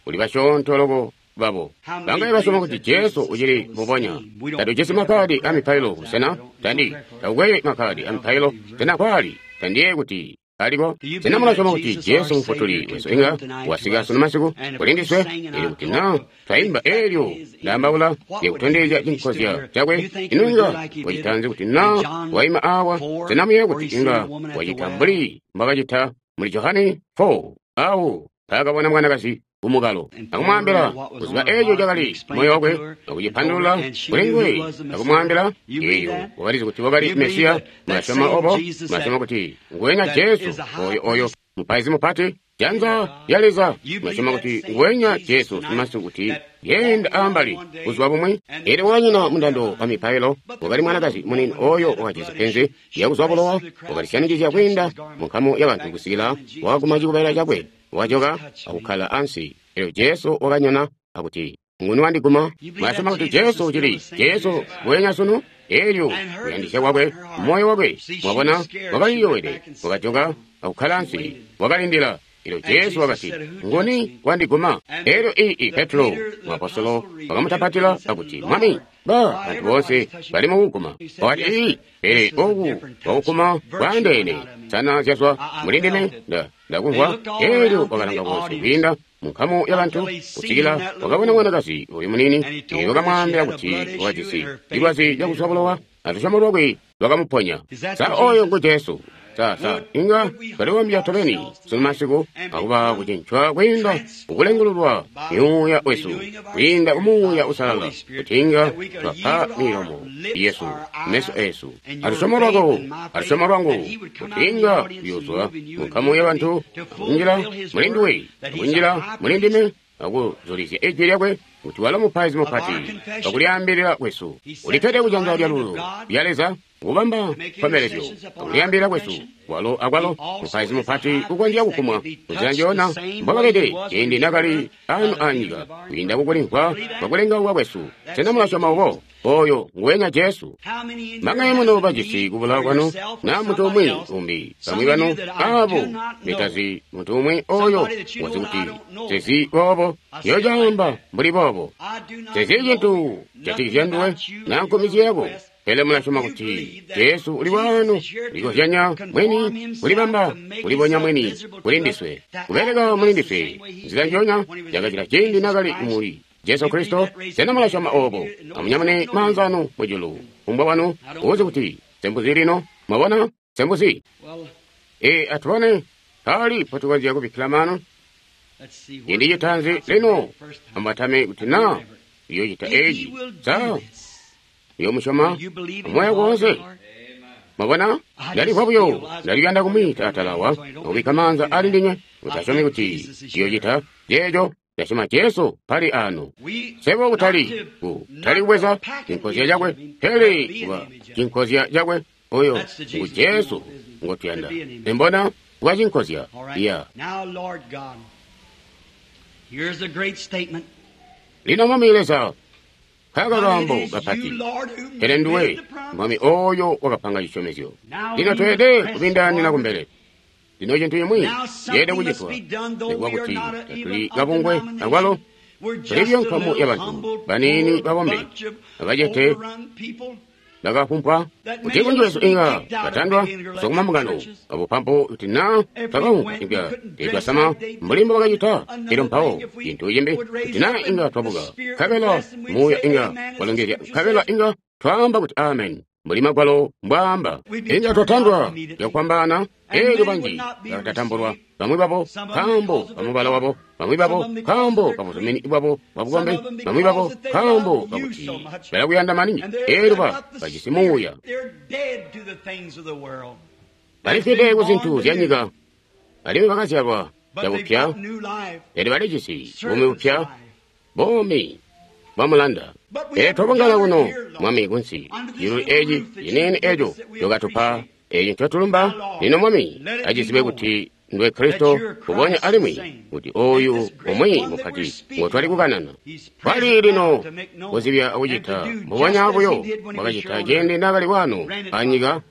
uli basyoonto loko babo. Bangaye basyoma kuti Jesu uchili mubonya. Tatujisi makhadi a mipailo kusena tandi takukweye makhadi a mipailo tena kwali tandiye kuti aliko. Sena mulasyoma kuti Jesu mufutuli wesu inga wasika sunu masiku kulindiswe ili kuti na twayimba elyo ndambaula lyakutondezya chinkozya chakwe ino inga wachitanzi kuti na wayima awa. Sena muye kuti inga wachita mbuli mbakachita muli Johane four awo paakabona mwanakazi kumukalo akumwambila kuziba echo chakali moyo wakwe akuchipandulula kuli nguwe akumwambila eyo wakalizi kuti wakali Mesiya. Mulasyoma obo? Mulasyoma kuti nguwenya Jesu oyo oyo mupaizi mupati janza lya Leza? Mulasyoma kuti nguwenya Jesu simasiku kuti yenda ambali buzuba bumwi? Elyo wanyina mundando wa mipailo wakali mwanakazi munini oyo wakajisi penzi lyakuzwa bulowa, wakalisyanikizya kwiinda mu nkamu ya bantu kusikila wakaguma chikubalila chakwe, wajoka akukhala ansi. Elyo Jesu wakanyona akuti, nguni wandiguma? Mulasyoma kuti Jesu uchili Jesu nguwenya sunu? Elyo kuyandisya kwakwe moyo wakwe, mwabona, wakaliyowede, wakajoka akukhala ansi, wakalindila. Elyo Jesu wakati, nguni wandiguma? Elyo ii Petro muapostolo wakamutapatila akuti, Mwami, ba bantu bonse bali mukuguma. Wakati, ii pele oku wakuguma kwaandeene sana zyazwa muli ndime nda ndakumvwa. Elyo wakalanga konse kwiinda mu nkamu ya bantu kusikila wakabona mwanakazi uyu munini. Elyo wakamwaambila kuti wakajisi cilwazi cakuzwa bulowa, alusyomo lwakwe lwakamuponya. Sa oyo ngu Jesu? Sa sa inga twaliwambya tobeni sunu masiku akuba kucincwa kwiinda kukulengululwa myuuya wesu kwiinda kumuuya usalala kuti inga twapa milomo yesu meso esu alusyomo lwako alusyomo lwangu kuti inga kuyozwa mu nkamu ya bantu akunjila muli nduwe akunjila muli ndime akuzulizya ijwi lyakwe kuti walo mupaizi mupati pakulyaambilira kwesu ulikkede kujanza lya lulu lya Leza kubamba nkombelezyo pakulyaambilira kwesu. Walo akwalo mupaizi mupati kukonzya kukumwa munzila njona mbwakabede ciindi nakali anu anyika kwiinda kukulimvwa kwakulengauka kwesu. Sena mulasyoma obo? Oyo nguwenya Jesu. How many in Mangaye here muno has a bajisi need kubula for kwanu yourself or na munthu somebody umwi else? umbi Some bamwi of banu you that I abo do not know. nditazi munthu umwi oyo Somebody that you wazi know kuti and I don't know. sezi bobo I say it like yocaamba that. mbuli bobo I do not sezi know cintu nothing chatikizya nduwe about you na and nkomizi your yako. request, Pele mulasyoma but you kuti believe that Jesu uli Jesus wano is here to ulikozyanya conform mwini himself kulibamba to make kulibonya himself mwini visible to kuli us, ndiswe to act kubeleka with muli us the ndiswe same way he nzila did njonya when he was yakachita in ciindi Jesus nakali Christ. muli Jesu Kristo? Sena mulasyoma obo? Amunyamune maanza anu mujulu. Kumbwa wanu uzi kuti sembuzi lino. Mwabona? Sembuzi. E, atubone pali potukonzya kubikkila mano. Ciindi citaanzi lino ambatame kuti na uyocita eci. Sa uyomusyoma amoyo wonse? Mwabona? Ndalimvwa buyo ndaliyanda kumwiita atala awa akubikka maanza ali ndinywe. Utasyomi kuti uyocita ceeco. Ndasyoma Jesu pali ano. Sebo kutali kutali kubweza cinkozya cakwe, pele kuba cinkozya cakwe. Oyo ngu Jesu ngotuyanda. Mbona kuba cinkozya. Iya. Lino Mwami Leza, kaka kaambo kapati. Pele nduwe Mwami oyo wakapanga cisyomezyo. Lino tweelede kubindaanina kumbele. Lino cintu cimwi ceelede kucitwa nikuba kuti tatuli kabungwe akwalo tuli buyo nkamu yabantu baniini babombe abacete bakafumpwa kuti kunji wesu inga batandwa kuzwa kumambungano abupampu kuti na twakaunka inga teetwasama mbuli mbo bakacita. Elyo mpawo cintu cimbi kuti na inga twabuka nkabela muuya inga walongezya nkabela inga twaamba kuti amen mbuli magwalo mbwaamba. Inga twatandwa cakufwambaana. Elyo banji bakatatambulwa, bamwi babo nkaambo kamubala wabo, bamwi babo nkaambo kabuzumini bwabo bwabukombe, bamwi babo nkaambo kakuti balakuyanda maningi. Elyo ba bajisi muuya, balifwide ku zintu zya nyika, alimwi bakazyalwa cabupya, pele balijisi buumi bupya, buumi bwamulanda. Pele twabungana kuno Mwami kunsi ciluli eci ciniini eco cokatupa eci ncotulumba. Lino Mwami acizibe kuti ndwe Kristo kubonya alimwi kuti oyu umwi mupati ngotwali kukanana. Kwali lino kuzibya akucita mbubonya buyo bwakacita ciindi naakali wano anyika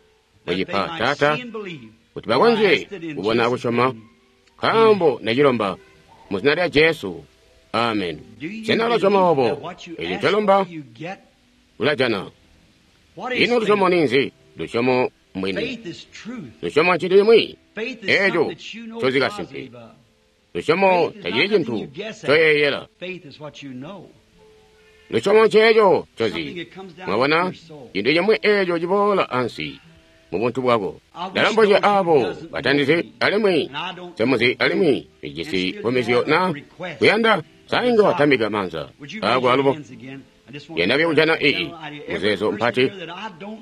mucipa Taata kuti bakonzye kubona akusyoma. Nkaambo ndacilomba mu zina lya Jesu. Amen. Sena ulasyoma obo? Eci ncolomba ulajana. Ino lusyomo ninzi? Lusyomo mbwini. Lusyomo ncintu cimwi eco ncozi kasimpe. Lusyomo tacili cintu ncoyeeyela. Lusyomo nceeco ncozi. Mwabona? Cintu cimwi eco ciboola ansi mubuntu bwako. Ndalombozya abo batandizi alimwi semuzi alimwi bijisi nkomezyo na kuyanda sainga watambika maanza ako alubo. Yenda kujana iyi muzeezo mpati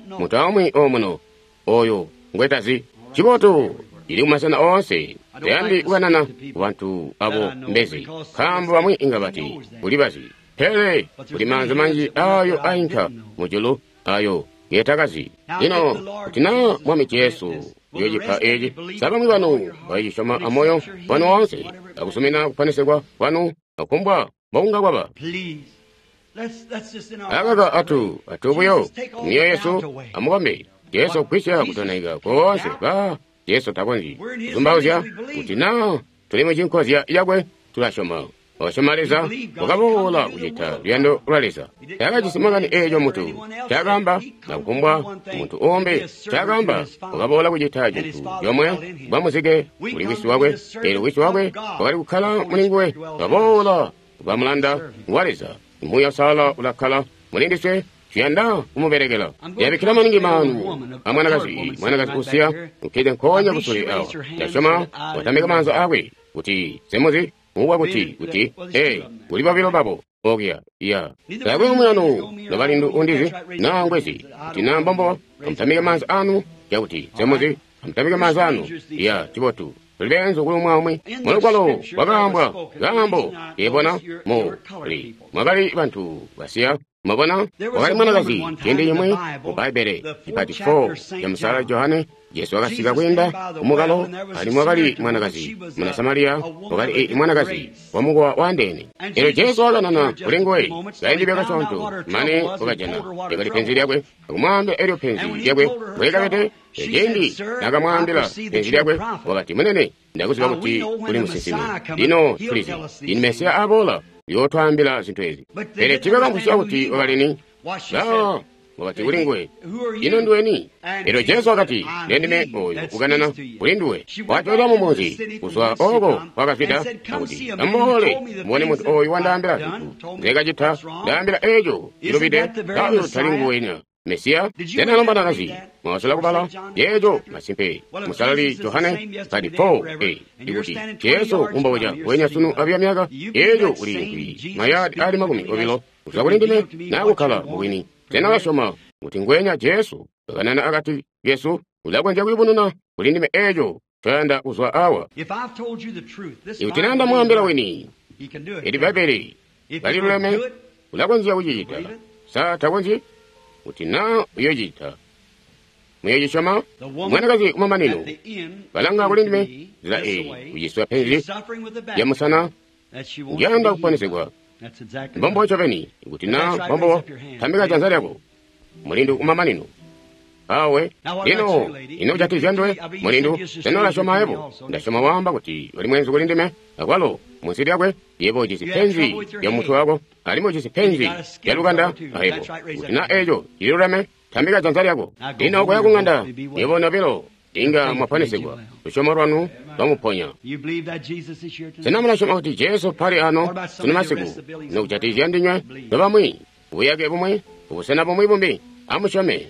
muntu aumwi omuno oyo ngwetazi cibotu ili kumasena oonse. Tayandi kukanana kubantu abo mbezi nkaambo bamwi inga bati kuli bazi, pele kuli maanza manji ayo ainka mujulu ayo ngetakazi. Lino kuti na Mwami Jesu uyocipa eci, sa bamwi banu bacisyoma amoyo wanu woonse akusumina kuponesegwa kwanu akumbwa mbokunga kwaba. Akaka atu atu buyo mioyo yesu amukombe Jesu kwisya kutonaika koonse. Ba Jesu takonzyi kuzumbauzya kuti na tuli mucinkozya yakwe tulasyoma. Wasyoma Leza wakaboola kucita luyando lwa Leza. Taakajisi makani eeco muntu caakaamba nakukumbwa muntu uumbi caakaamba. Wakaboola kucita cintu comwe bwa muzike kuli wisi wakwe. Eelyo wisi wakwe wakali kukkala mulinguwe. Wakaboola kuba mulanda wa Leza. Muuya Uusalala ulakkala mulindiswe. Tuyanda kumubelekela. Yabikkila maningi maanu amwanakazi, mwanakazi usiya ukkede nkoonya kusule awa. Ndasyoma watambika maanza akwe kuti semuzi uwa kuti kuti ee kuli babilo babo okuya iya. Taakwe umwi anu nobalindu undizi naa ngwezi kuti naa mbombo amutambike maanza anu cakuti semuzi amutambike maanza anu iya cibotu. Tuli beenzu kuli umwi aumwi. Mulugwalo wakaambwa kaambo keebona mu li mwakali bantu basiya. Mwabona wakali mwanakazi ciindi cimwi mu Bbaibbele cipati four ya Musala Johane. Jesu wakasika kwiinda kumukalo alimwi wakali mwanakazi muna Samariya, wakali mwanakazi wa mukowa waandeene. Elyo Jesu wakanana kuli nguwe kaindi kasyoonto mane wakajana lyakali penzi lyakwe akumwaambila elyo penzi lyakwe mbwelikabede. Ciindi nakamwaambila penzi lyakwe wakati, Munene, ndakuziba kuti uli musinsimi. Lino tulizi ini Mesiya aboola uyootwaambila zintu ezi. Pele tiibakamvwisya kuti wakali ni. Ba Wakati kuli nguwe, ino nduweni? Elyo Jesu wakati, ndendime oyo ukanana kuli nduwe. Watolwa mumunzi kuzwa oko kwakazwida akuti, amuboole mubone muntu oyu wandaambila zintu nzekacita, ndaambila eco cilubide, oyo tali nguwenya Mesiya. Sena lombanakazi mwasola kubala yeeco masimpe musalali Johane thirty-four a ikuti Jesu umboja wenya sunu abya myaka yeeco uli mayadi ali makumi obilo kuzwa kuli ndime nakukkala mubwini. Sena ulasyoma kuti ngwenya Jesu kakanana akati kesu ulakonzya kuyubununa kuli ndime eeco ncoyanda kuzwa awa? Ikuti nanda mwambila wini ili Bbaibbele kaliluleme, ulakonzya kucicita. Sa takonzyi? Kuti na uyocita, muyoocisyoma? Mwanakazi kumamanino kalanga kuli ndime nzila eyi, uciswa penzi lya musana, njanda kuponesegwa. Mbombo ncobeni. Kuti na mbombo, tambika janza lyako. Mulindu kumamanino awe lino ino kujatikizya nduwe mulindu. Sena ulasyoma yebo? Ndasyoma waamba kuti uli mwenzu kuli ndime akwalo munsi lyakwe. Yebo ujisi penzi lya mutwe wako, alimwi ujisi penzi lya lukanda ayebo. Kuti na eco cililuleme, tambika janza lyako. Lino koya kung'anda, yebo nobilo inga mwaponesegwa. Lusyomo lwanu lwamuponya. Sena mulasyoma kuti Jesu pali ano sunu masiku? Ino kujatikizya ndinywe nobamwi, buyake bumwi, ubusena bumwi bumbi? Amusyome.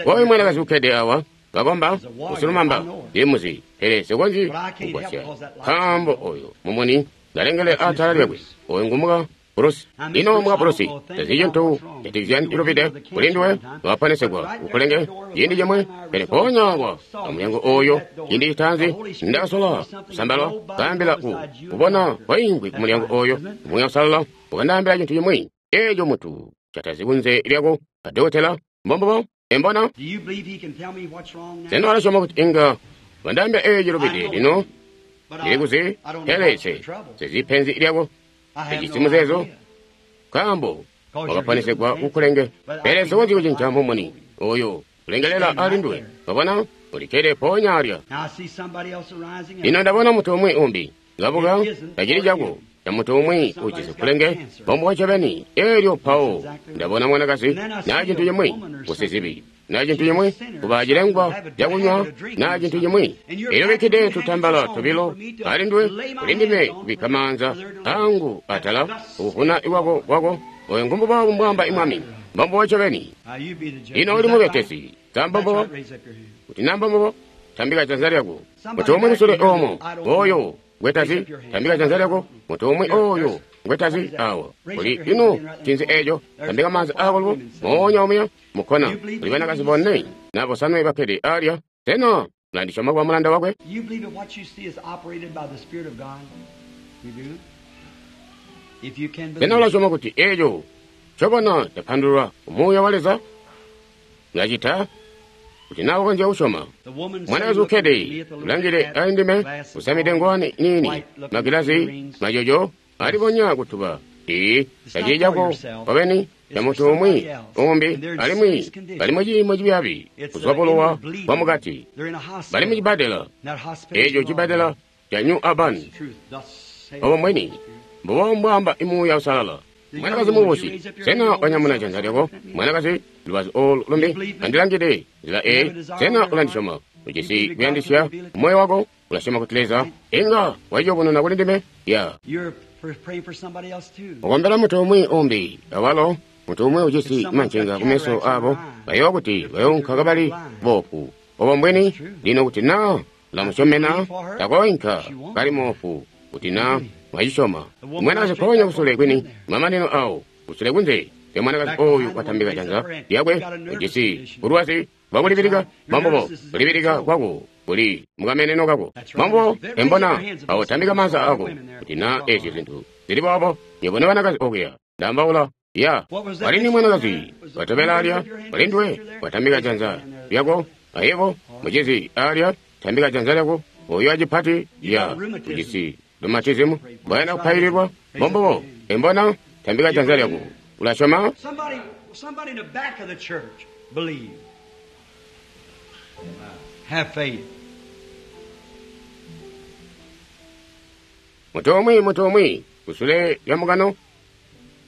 Oyu mwanakazi ukkede awa kakomba usilumamba ndimuzi, pele sikonzyi kugwasya nkaambo oyo mumuni ngalengele atala lyakwe. Oyu ngumuka Brusi. Ino muka Brusi tazi cintu jatikizya cilubide kuli nduwe, waponesegwa ukulenge ciindi cimwe, pele mpoonya awa amulyango oyo ciindi citaanzi ndakasola kusambalwa kaambila ku kubona kwaingwi ku mulyango oyo. Muuya Usalala ukandaambila cintu cimwi eco mutu catazi kunze lyako adokotela. Mbombobo embona. Sena ulasyoma kuti inga wandaambila eco cilubide lino? Ndili kuzi, pele se sezi penzi lyako ejisi muzeezo, nkaambo wakaponesegwa kukulenge, pele sikonzyi kucinca mumuni oyo ulengelela ali nduwe. Wabona, ulikkede mpoonya alya. Lino ndabona muntu umwi umbi kabuka, tacili cako ca muntu umwi ujisi kulenge, mbombubo ncobeni. Elyo mpawo ndabona mwanakazi naa cintu cimwi kusizibi, naa cintu cimwi kuba cilengwa cakunywa, naa cintu cimwi. Elyo bikkide tutambala tobilo ali nduwe, kuli ndime kubikka maanza angu atala ukuvuna iwako kwako. Oyo ngumbubo mbwamba imwami. Mbombubo ncobeni. Ino uli mubetesi sa mbombubo? Kuti na mbombubo, tambika janza lyako. Muntu umwi kusule omo oyo ngwetazi, tambika janza lyako. Muntu umwi oyo ngwetazi awa uli ino cinzi eco, tambika maanza ako lubo moonya omuya mukkona. Kuli banakazi bonne na bosanwe bakkede alya. Sena mulandisyoma kuba mulanda wakwe? Sena ulasyoma kuti eco ncobona capandululwa ku Muuya wa Leza? Mulacita? Kuti nawe ukonzya kusyoma. Mwanakazi ukkede ulangile ali ndime, usamide ngowani niini, magilazi majojo alibonya kutuba. Ii tacili cako wabeni, ca muntu umwi umbi, alimwi bali muciimo cibyaabi kuzwa bulowa bwa mukati. Bali mucibadela, eco cibadela ca New Albany. Obo mbweni mbubo mbwaamba Muuya Usalala. Mwanakazi mubusi, sena wanyamuna janza lyako? Mwanakazi lubazu olu lumbi, andilangide nzila eyi. Sena ulandisyoma? Ujisi kuyandisya moyo wako? Ulasyoma kuti Leza inga waciyubununa kuli ndime? Ya. Ukombela muntu umwi umbi awalo. Muntu umwi ujisi mancenga kumeso abo, bayowa kuti bayounka kabali boofu. Obo mbweni. Lino kuti na ulamusyomena, takoinka kali moofu. Kuti na mwacisyoma. Mwanakazi mpoonya kusule kwini mamanino awo kusule kunze lya mwanakazi oyu watambika janza lyakwe, ujisi bulwazi bwakulibilika. Mbombubo, kulibilika kwako kuli mukameneno kako. Mbombubo embona awo, tambika maanza ako. Kuti na ezyo zintu zili boobo, nywebo banakazi okuya ndambaula ya walini mwanakazi watobela alya walinduwe watambika janza lyako ayebo mucizi alya tambika janza lyako. Oyo acipati ya ujisi lumatizimu mbwayanda kupaililwa. Mbombubo embona, tambika janza lyako. Ulasyoma? Muntu umwi, muntu umwi kusule lya mukano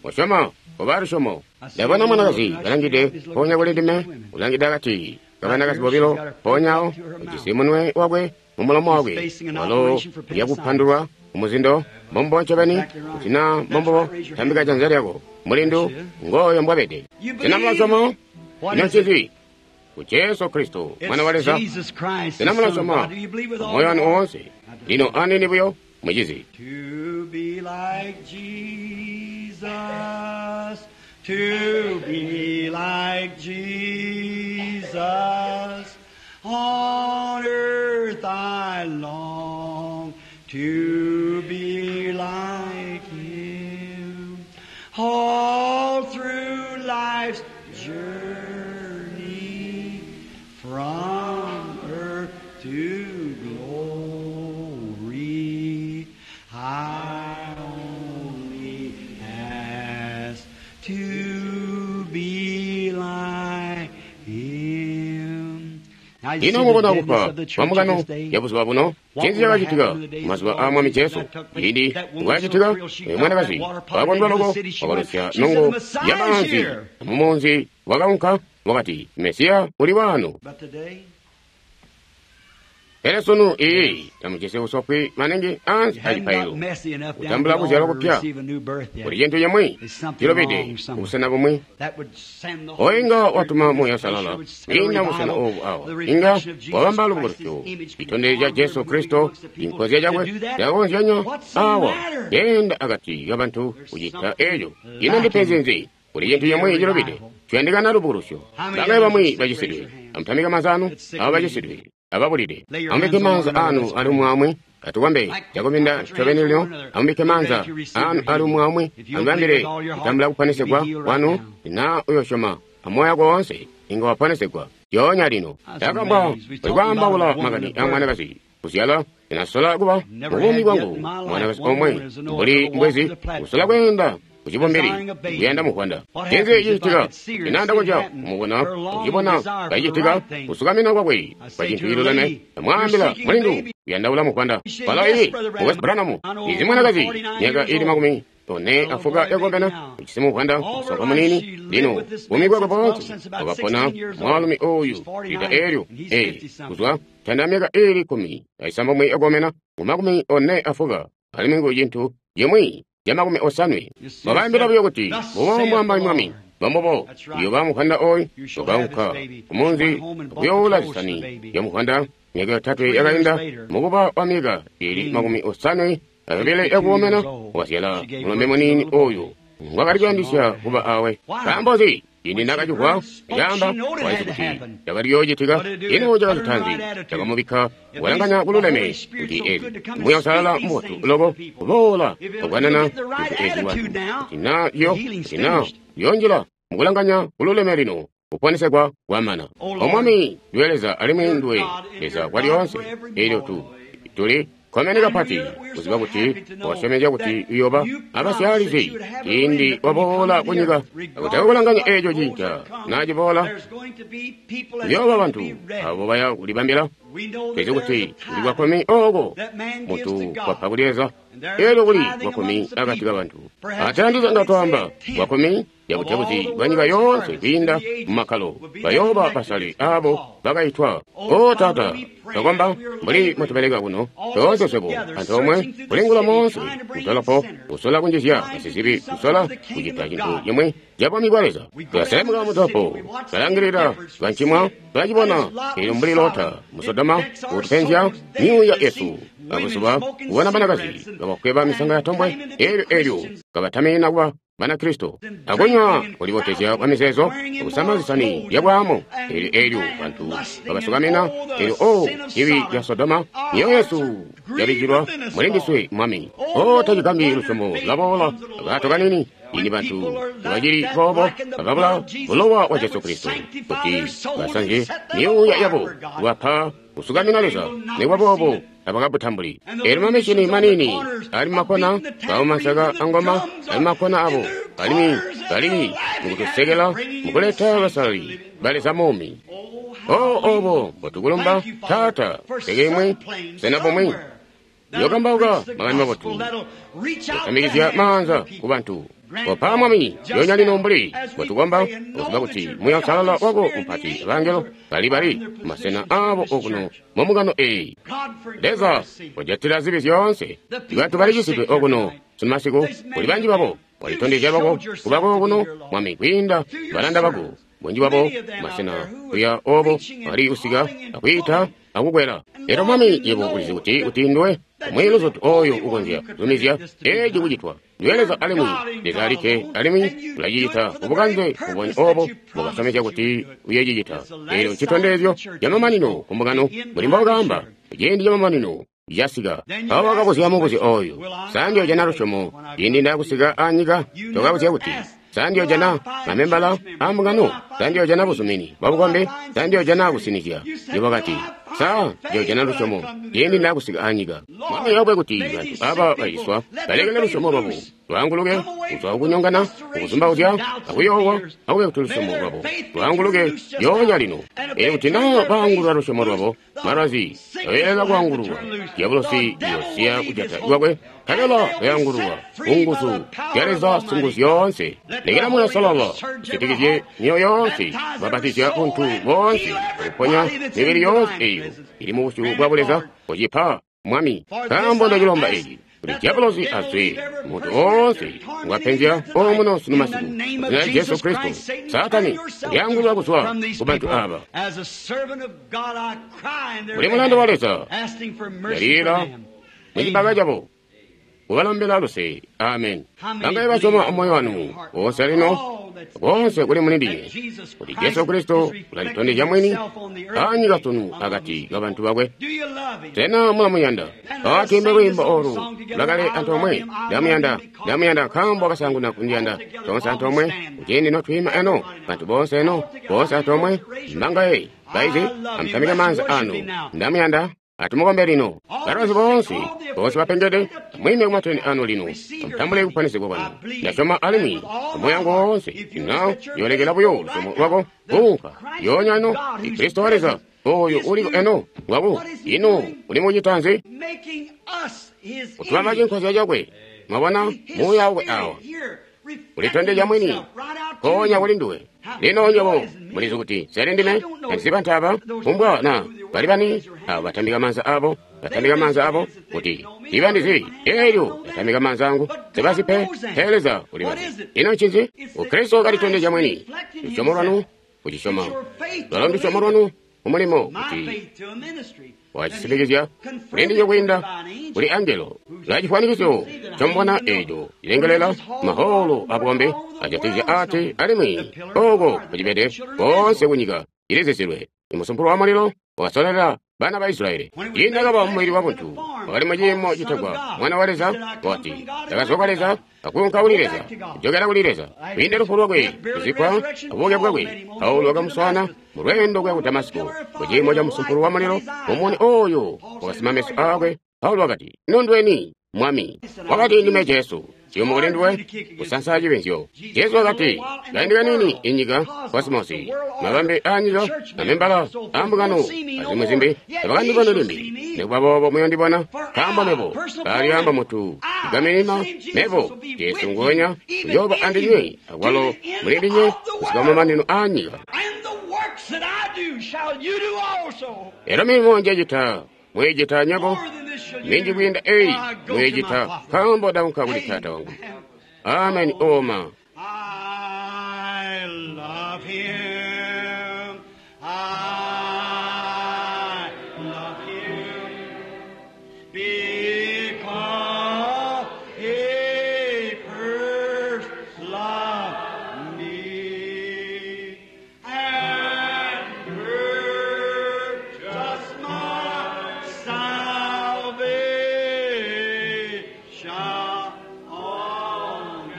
Kosyoma, koba lusyomo. Ndabona mwanakazi kalangide mpoonya kuli ndime, ulangide akati kabanakazi bobilo, mpoonya awo ujisi munwe wakwe mumulomo wakwe, walo uyakupandulwa kumuzindo. Mbombo ncobeni, kuti naa mbombo, tambika janza lyako. Mulindu ngooyo mbwabede. Sena mulasyoma? Ino ncinzi? Ku Jesu Kristo, Mwana wa Leza. Sena mulasyoma moyo wanu woonse? Lino anini buyo, mucizi. To be like Jesus, to be like Jesus, on earth I long to be like Him. All through life's journey, from earth to glory, I only ask to be like Him. Now you see Ino the mubona deadness kufa of the church kwa of mbungano this day. ya buzuba buno, ncinzi cakacitika mazuba aa Mwami Jesu? Cindi bwakacitika, oyo mwanakazi wakakondwa loko, wakalosya nongo ya maanzi mumunzi, wakaunka, wakati, Mesiya uli wano. But today, Pele sunu iyi tamujisi usofwi maningi ansi you hadn't got acipailo. messy enough down to Kutambula the kuzyalwa altar to kupya. receive a new birth yet. Kuli cintu cimwi There's something cilobede wrong somewhere. kubusena bumwi. That would send the Oyo Holy inga Spirit watuma to Muuya this place. Uusalala It would send a kwiinda busena revival, obu awa the inga reflection of Jesus wabamba Christ's lubukulusyo image citondezyo ca Jesu moving Kristo amongst the people. inkozya cakwe To do that, cakakonzyanya what's the awa matter? yenda akati kabantu kucita something eco. Ino ndipenzi nzi? Kuli cintu cimwi cilobede ciyandikana lubukulusyo. Bangaye bamwi bacisidwe, amutamike maanza anu abo bacisidwe ababulide. Amubike maanza anu ali umwi atukombe cakubinda ncobeni lino. Amubike maanza anu ali umwi aumwi, amubambile kutambula kuponesegwa kwanu. Na uyosyoma amoyo wako woonse, inga waponesegwa lyoonya lino. Ndakambwa uli kwaambaula makani a mwanakazi kuzyala inasola kuba mubuumi bwangu mwanakazi omwe mbuli mbwezi kusola kweenda kucibumbili kuyanda muvwanda. Ncinzi cicitika? Inanda konzya kumubona kucibona kacicitika kusukamina kwakwe kwa cintu ciluleme. Amwaambila mulindu kuyandaula muvwanda. Walo iyi Mukwesu Branham izi mwanakazi myaka ili makumi one afuka yakukomena ujisi muvwanda musankwa munini. Lino buumi bwakwe boonse wakapona mwaalumi oyu lita eelyo ee kuzwa tanda myaka ili kkumi aisambomwe yakukomena ngu makumi one afuka alimwi ngu cintu cimwi ca makumi osanwe. Wakaambila buyo kuti mbubo mbwaamba Mwami, mbombubo uyoba muvwanda oyu. Wakaunka kumunzi akuyoula zisani zya muvwanda. Myaka yotatwe yakainda mukuba wa myaka ili makumi osanwe ayobile yakukomena wazyala mulombe munini oyu ngwakali kuyandisya kuba awe. Nkaambo nzi? Ciindi nakacimvwa caamba waizi kuti cakali kuyoocitika. Ino cakacita nzi? Cakamubikka walanganya kululeme kuti ezi Muuya Uusalala mubotu loko kuboola kukanana zintu ezi bantu kuti na yo kuti na yonjila mukulanganya kululeme lino kuponesegwa kwamana. O Mwami, ndiwe Leza alimwi ndiwe Leza kwalyoonse. Eelyo tu tuli kkomene kapati kuziba kuti wasyomezya kuti uyoba abasyaalizi ciindi waboola kunyika. Akutaka kulanganya eeco cinca naaciboola, kuyooba bantu abo baya kulibambila. Tulizi kuti kuli kwakkumi ooko muntu kwapa kuli Leza, eelyo kuli kwakkumi akati kabantu. Ate nga twaamba kwakkumi yabutebuzi bwa nyika yoonse kwiinda mumakkalo bayooba basale abo bakaitwa. O Taata, twakomba mbuli mutubeleka kuno toonse swebo antoomwe kulingula moonse kutolopo kusola kunjizya basizibi kusola kucita cintu cimwi ca bwami bwa Leza. Tulaselemuka mutolopo kalangilila kancimwa tulacibona eelyo mbuli Lota mu Sodoma kutupenzya myuuya yesu abuzuba kubona banakazi kabakweba misanga ya tombwe eelyo eelyo kabatamina kuba Banakristo akunywa kulibotezya kwa mizeezo kusama zisani zyabwaamu eelyo eelyo bantu babasukamina eelyo o cibi ca Sodoma myoyo yesu yabijilwa mulindiswe Mwami. O tacigambi lusyomo lwaboola akato kanini ini bantu bacili boobo bakabula bulowa wa Jesu Kristo kuti basanzye myuuya yabo kubapa kusukamina Leza nikuba boobo abakabutambuli. Eelyo mamishini manini ali mumakona bamumasaka angoma ali mumakona abo alimwi bali mukutusekela mukuleta basalali ba Leza muumi. O obo mbotukulumba Taata, teke imwe busena bumwi Yokambauka makani mabotu, yotamikizya maanza ku bantu. Kopa Mwami, yonya lino mbuli bwetukomba, okuziba kuti Muuya Uusalala wako mupati abangelo bali bali masena abo okuno mu mbungano eyi. Leza wajatila zibi zyoonse. Bantu balicisidwe okuno sunu masiku, kuli banji babo walitondezya lwako kuba kokuno Mwami kwiinda balanda bako. Bunji bwabo masena kuya obo bali kusika akwiita akukwela. Elyo Mwami, yebo ulizi kuti kuti nduwe omwe luzutu oyo ukonzya kuzumizya eci kucitwa. Nduwe Leza alimwi Leza alikke, alimwi ulacicita kubukanze mbubonya obo mbwakasyomezya kuti uyocicita. Elyo ncitondezyo camamanino ku mbungano, mbuli mbokaamba, ciindi camamanino casika. Mpawo wakabuzya mubuzyo oyu, sa ndiyojana lusyomo ciindi ndaakusika anyika? Tokabuzya kuti, sa ndiyojana mamembala a mbungano? Sa ndiyojana buzumini bwa bukombi? Sa ndiyojana kusinizya? Yebo kati, sa ndiyojana lusyomo ciindi ndaakusika anyika? Mwami akube kuti bantu aba baciswa balekele lusyomo lwabo lwaanguluke kuzwa kukunyongana, kukuzumbauzya, akuyoowa. Akube kuti lusyomo lwabo lwaanguluke lyoonya lino. Elyo kuti naa baangulula lusyomo lwabo, malwazi ayoyelela kwaangululwa, dyabulosi uyosiya kujata kwakwe, nkabela bayaangululwa ku nguzu zya Leza Singuzyoonse. Lekela Muuya Uusalala usitikizye myoyo yoonse, kubapatizya buntu boonse, akuponya mibili yoonse eyo ili mu busyu bwa Buleza. Kocipa, Mwami, nkaambo ndacilomba eci, kuti dyabulosi azwe muntu oonse ngwapenzya omuno sunu masiku. Mu zina lya Jesu Kristo, Saatani ulyaangulula kuzwa ku bantu aba. Mbuli mulanda wa Leza, ndalila mu cibaka cabo, kubalombela luse. Amen. Bangaye basyoma moyo wanu wonse lino, konse kuli muli ndinywe, kuti Jesu Kristo ulalitondezya mwini anyika sunu akati ka bantu bakwe? Sena mulamuyanda? Atwiimbe lwiimbo olu lwakale antoomwe. Ndamuyanda, ndamuyanda nkaambo wakasaanguna kundiyanda. Toonse antoomwe, kuciindi notwiima eno, bantu boonse eno, boonse antoomwe. Mbangaye baizi, amutamike maanza anu. Ndamuyanda. Atumukombe lino. Balwazi boonse, boonse bapengede, amwiime kumatende anu lino, amutambule kuponesegwa kwanu. Ndasyoma alimwi amoyo wangu woonse. Na yolekela buyo lusyomo lwako kuunka yoonya eno. Kristo wa Leza oyo uliko eno ngwaku. Ino uli mukucita nzi? Kutubamba cinkozya cakwe. Mwabona Muuya wakwe awa ulitondezya mwini mpoonya kuli nduwe. Lino nywebo mulizi kuti nseli ndime, tandizi bantu aba, kumbwa na bali bani abo batambika maanza abo, batambika maanza abo kuti tiibandizi. Elyo batambika maanza angu sebazi pe, pele Leza ulibazi. Ino ncinzi? Ukristo kalitondezya mwini. Lusyomo lwanu kucisyoma, lwalo ndusyomo lwanu mumulimo kuti wacisitikizya kuli ndinywe kwiinda kuli angelo. La cifwanikiso comubona eco cilengelela maholo abukombi ajatikizya ati, alimwi oko kucibede koonse kunyika cilizizilwe. Imusumpulo wa mulilo wakasolela bana ba Israyeli. Ciindi akaba mumubili wa buntu, wakali muciimo citegwa Mwana wa Leza, wakati, ndakazwa kwa Leza, akuunka kuli Leza, kujokela kuli Leza. Kwiinda lufu lwakwe, kuzikkwa, abubuke bwakwe, Paulo wakamuswaana mu lweendo kuya ku Damasiko, muciimo ca musumpulo wa mulilo, mumuni oyo wakasima meso aakwe. Paulo wakati, ino nduweni, Mwami? Wakati, ndime Jesu. Ciyumu kuli nduwe kusansa cibinzyo. Jesu wakati, kaindi kaniini inyika, kosmosi, mabambe aanyika, mamembala ambungano, azimwi zimbi, tabakandiboni limbi. Nikuba boobo muyondibona, nkaambo mebo kalyaamba mutu igaminina, mebo Jesu nguwenya uyooba andinywe, akwalo muli ndinywe kusika kumamanino aanyika. Elyo milimo njecita mwiicita nywebo, minji kwiinda eyi mwiicita, nkaambo ndaunka kuli Taata wangu. Amen. Oma. I love him. I love him because he first loved me and purchased my salvation on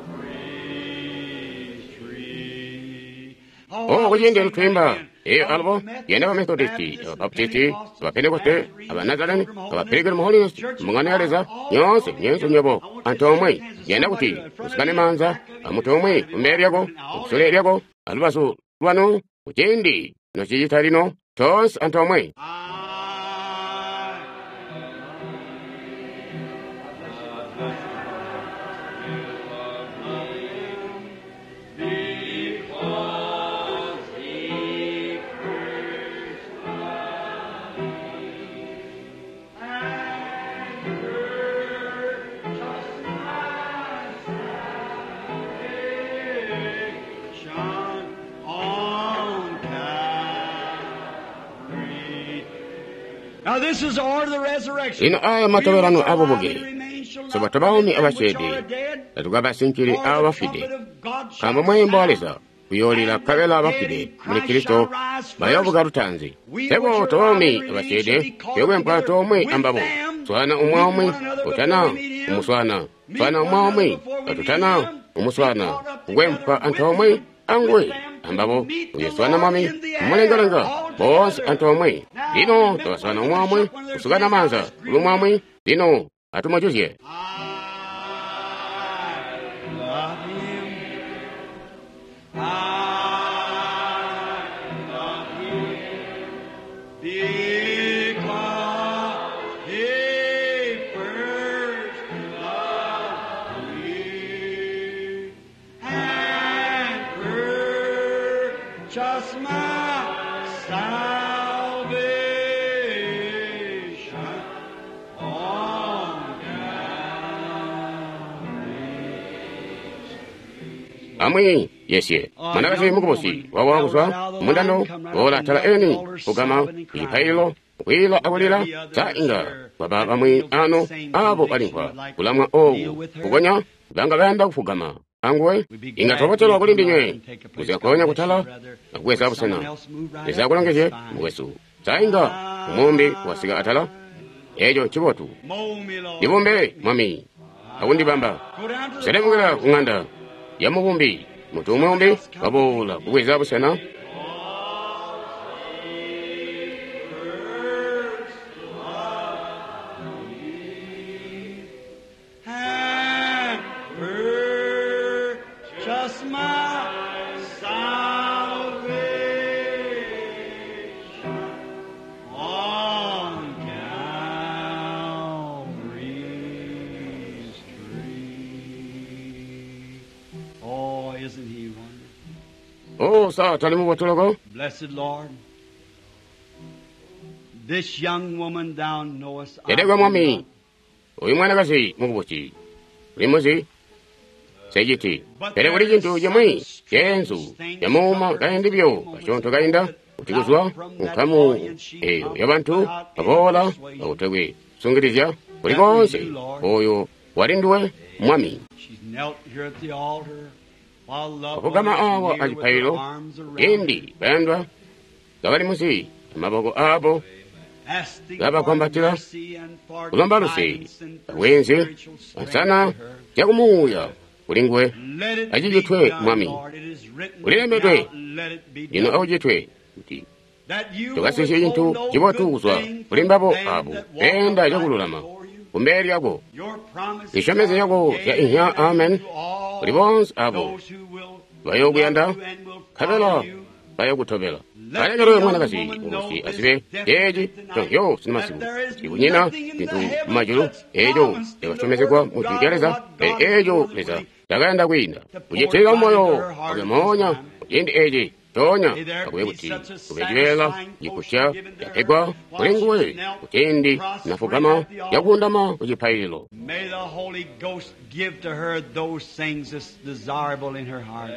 Calvary's tree. Oh, kuciindi lutwimba eyo albo yenda ba Methodisti, aba Baptisti, aba Pentekoste, aba Nazarene, aba Pilgrim Holiness, mbungano ya Leza nyoonse nyense nywebo antoomwe. Yenda kuti musikane maanza amuntu omwe kumbele lyako, kusule lyako, alubazu lwanu, kuciindi nocicita lino toonse antoomwe. I Lino aya matobelano abubuke soba tobaumi abasyeede tatukabasinkili abo bafwide, nkaambo mweembo wa Leza kuyoolila nkabela bafwide muli Kristo bayoobuka lutaanzi. Sebo tobaumi abasyeede tuyokwempwa toomwe ambabo, swana umwi aumwi utana umuswana, swana umwi aumwi katutana umuswana, kukwempwa antoomwe anguwe ambabo uyoswana Mwami mumulengalenga boonse antoomwe. Lino twaswana umwi aumwi kusukana maanza kuli umwi aumwi. Lino atumujuzye. I love him. I love him because he first loved me and purchased my salvation on Amwi yesye mwanakazi mukubusi wawa kuzwa mundando boola atala eni kugama kucipaililo kwiila akulila sa inga kwaba bamwi ano abo balimvwa kulamwa oku kukonya banga bayanda kufugama anguwe. Inga twabotelwa kuli ndinywe kuziyakonya kutala akubweza busena. Leza akulongezye mukwesu. Sa inga umumbi wasika atala eco ncibotu. Mold me, Lord. Ndibumbe Mwami akundibamba Go down to the selemukila ku ng'anda ya mubumbi. Muntu umwe umbi waboola kubweza busena. and purchase my salvation on Calvary's tree. Oh, isn't he wonderful? O sa tali mubotoloko. Blessed Lord, this young woman thou knowest. I Yedegwa do Mwami not. uyu mwanakazi mukubusi ulimuzi sejiti pele kuli cintu cimwi ceenzu camuuma kaindi byo kasyoonto kainda kuti kuzwa nkamu eyo yabantu baboola akutekwe kusungilizya kuli koonse oyo wali nduwe Mwami. She's knelt here at the altar while loved Wafugama ones awa near with their acipaililo arms around indi bayandwa kabali musi amaboko abo asking kabakwambatila for mercy and for kulomba luse guidance and for abwenzi spiritual strength ansana to her. zyakumuuya kuli nguwe. Let it be Acicitwe done, Mwami. Lord. It is written, Ulilembedwe. now let it be Lino done. akucitwe kuti That you will tukasisye withhold cintu no cibotu good kuzwa thing kuli from mbabo them abo that walk beenda upright cakululama before you. kumbele lyako. Your promises Zisyomezyo are yako yea zya inhya and amen amen to all kuli boonse abo those who will bayookuyanda love you and will nkabela follow you. bayokutobela. Let Alekele the young mwanakazi woman know mukubusi this azibe definitely ceeci tonight, conyo sina masiku that there is kuti kunyina nothing in cintu the heavens mumajulu that's eco promised in the cakasyomezegwa word of mu jwi God, lya Leza what pele God eco more than Leza willing takayanda kwiinda to pour kucitilila right moyo into her heart wakwe at this moonya time. kuciindi eci coonya May there akube be kuti such a kube cibeela satisfying cipusya portion given to her capegwa while kuli nguwe she knelt kuciindi prostrate nafugama at the altar. yakundama ku cipaililo. May the Holy Ghost give to her those things that's desirable in her heart.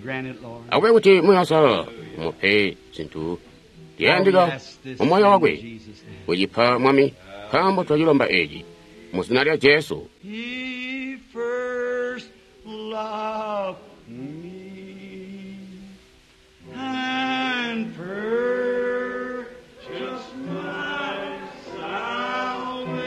Grant it, Lord. Akube kuti Muuya Uusalala umupe zintu For we ziyandika ask this mu moyo in wakwe Jesus' name. kucipa Mwami nkaambo twacilomba eci mu zina lya Jesu. He first loved me and purchased my salvation.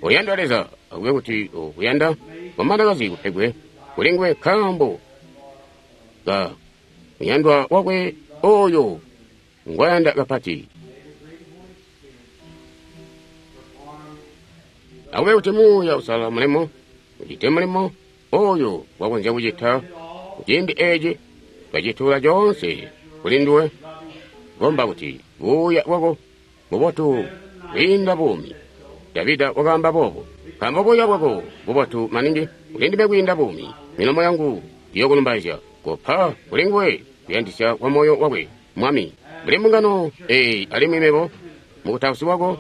Uyanda Leza akube kuti ukuyanda mwanakazi kupegwe kuli nguwe nkaambo ka muyandwa wakwe oyo ngwayanda kapati. Akube kuti Muuya Uusalala mulimo ucite mulimo oyo wakonzya kucita kuciindi eci twacituula coonse kuli nduwe. Komba kuti buuya bwako bubotu kwiinda buumi. Davida wakaamba boobo. Nkaambo buya bwako bubotu maningi kulindime kwiinda buumi. Milomo yangu iyokulumbaizya. Kopa kuli nguwe kuyandisya kwa moyo wakwe, Mwami. Mbuli mbungano eyi alimwi mebo mukutausi wako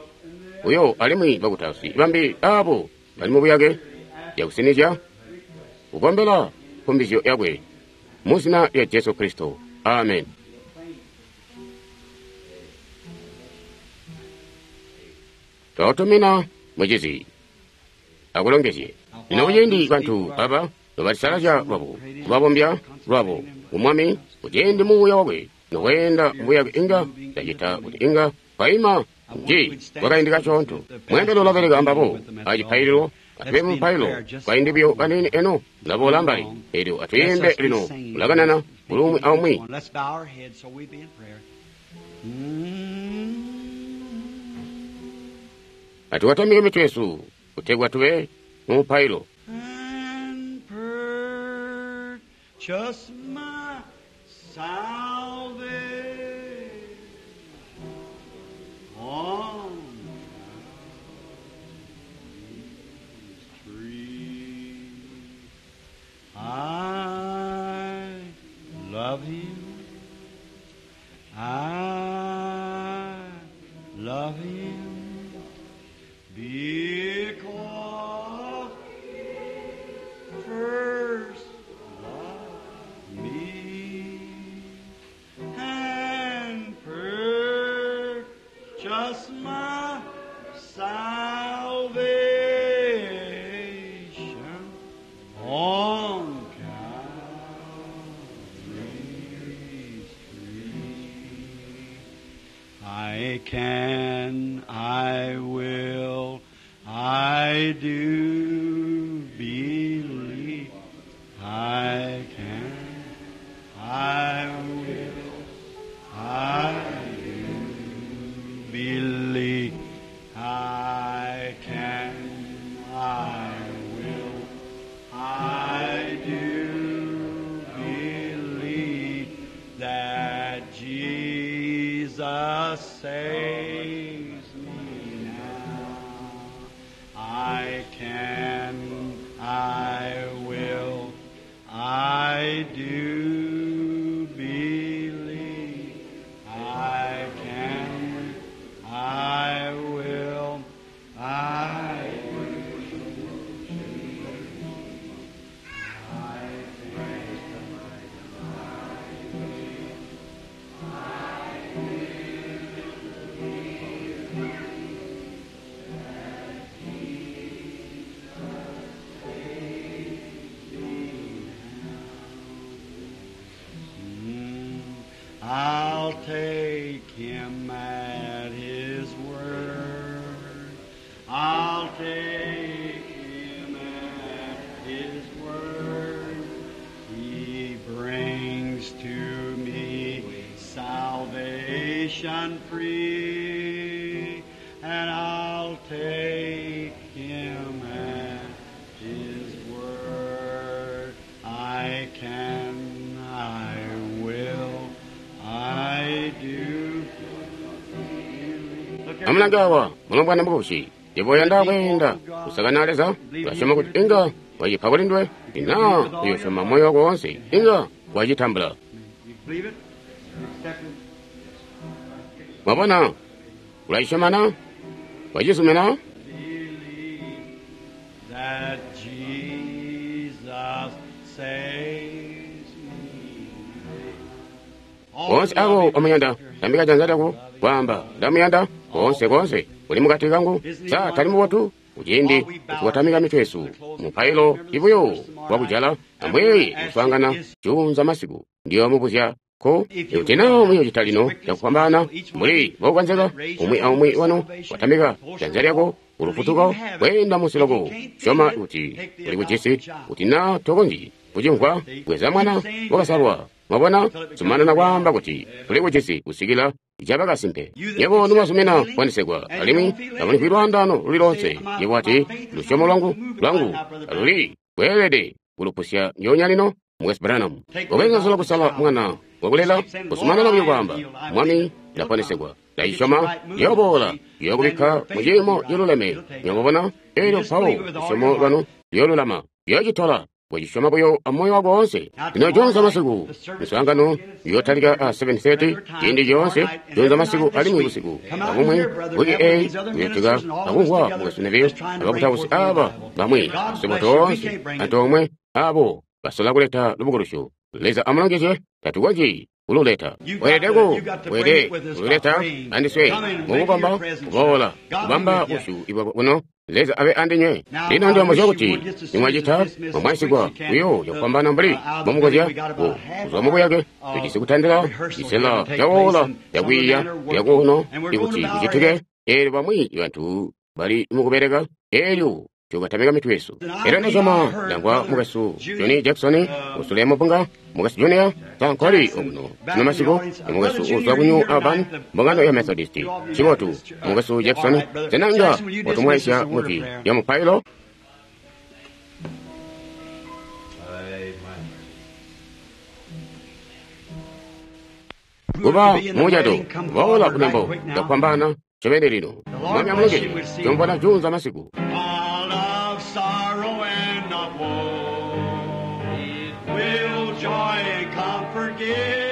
uyo alimwi bakutausi bambi abo bali mubuyake yakusinizya kukombela nkumbizyo yakwe mu zina lya Jesu Kristo. Amen. Twakutumina mucizi akulongezye. Lino kuciindi bantu aba nobalisalazya lwabo kubabombya lwabo ku Mwami, kuciindi muuya wakwe noweenda mbuyake inga ndacita kuti inga twaima nji kwakaindi kasyoonto. Mweembeli ulabeleka ambabo acipaililo. Atube mupailo kaindi buyo kaniini eno ulaboola mbali elyo atwiimbe lino ulakanana kuli umwi aumwi. Let's bow our heads so we be in prayer. Atukatamike mitwe yesu kutegwa tube mumupailo. And purchase my salvation on Calvary's tree. I love Him. I love Him because He first loved me and purchased my salvation on Calvary's tree. I can, I will, I do believe. I can, I will, I do believe. I can, I will, I do believe that Jesus saves me now. I can, I will, I do believe. I can, I will, I Mm, I'll take him at his word. I'll take him at his word. He brings to me salvation free, and I'll take him at his word. I can, I will, I do. Look at Amulange awa mulombwana mukubusi yebo kweenda kusakana Leza ulasyoma kuti inga wacipa kuli nduwe ina uyosyoma moyo wako wonse inga wacitambula. You believe it? You accept it? Mwabona ulacisyomana wacizumina. Believe that Jesus saves me. Bonse abo omuyanda tambika janza lyako kwaamba ndamuyanda konse konse uli mukati kangu sa tali mubotu kuciindi tukatamika mitwe yesu mupailo ibuyo wakujala amweeye kuswaangana juunza masiku ndiyo mubuzya ko ikuti naa muyocita lino cakufwambaana mbuli bokukonzeka umwi aumwi wanu watamika janza lyako ulufutuko kweenda munsi loko syoma kuti uli kujisi kuti naa tokonzyi kucimvwa bweza mwana wakasalwa. Mwabona zumanana kwaamba kuti tuli kujisi kusikila caba kasimpe. Yebo nimwazumina kuponesegwa alimwi tamulimvwi lwaandaano luli lonse. Yebo ati lusyomo lwangu lwangu aluli kweelede kulupusya ndyoonya lino Mukwesu Branham. Ubweza zola kusala mwana wakulela kuzumanana buyo kwaamba Mwami ndaponesegwa Nda cisyoma, ciyoboola, ciyokubikka mu ciimo ciluleme. Nywebo elyo mpawo lusyomo lwanu luyolulama. Ciyocitola. Kucisyoma buyo amoyo wako woonse. Lino juunza masiku, miswaangano iyotalika a seven thirty, ciindi coonse, juunza masiku alimwi busiku. Abumwi, wiki eyi, kuyotika akumvwa mukwesu Neville, abakutausi aba bamwi, swebo toonse, antoomwe, abo basola kuleta lubukulusyo. Leza amulongezye, tatukonzyi kululeta. Weelede ku, weelede kululeta andiswe, mukukomba, kuboola, kubamba busyu bwako kuno. Leza abe andinywe. Lino ndiyomuzya kuti nimwacita mwamwaisigwa buyo cakufwambaana mbuli mbomukonzya ku kuzwa mubuyake. Tujisi kutandila cisela cawoola cakwiiya lyakuno ikuti kucitike. Eelyo bamwi bantu bali mukubeleka, eelyo tukatamika mitwe yesu. Elyo ndasyoma ndamvwa mukwesu Johnny Jackson usule mubunga, mukwesu Junior sankoli okuno sino masiku, ni mukwesu uzwa ku New Albany, mbungano ya Methodist. Cibotu, mukwesu Jackson, sena inga watumwaisya kuti ya mupailo? Kuba mucato, kuboola kunembo cakufwambaana ncobeni lino. Mwami amulongezye, tuyomvwana juunza masiku. Sorrow and not woe, will joy and comfort give.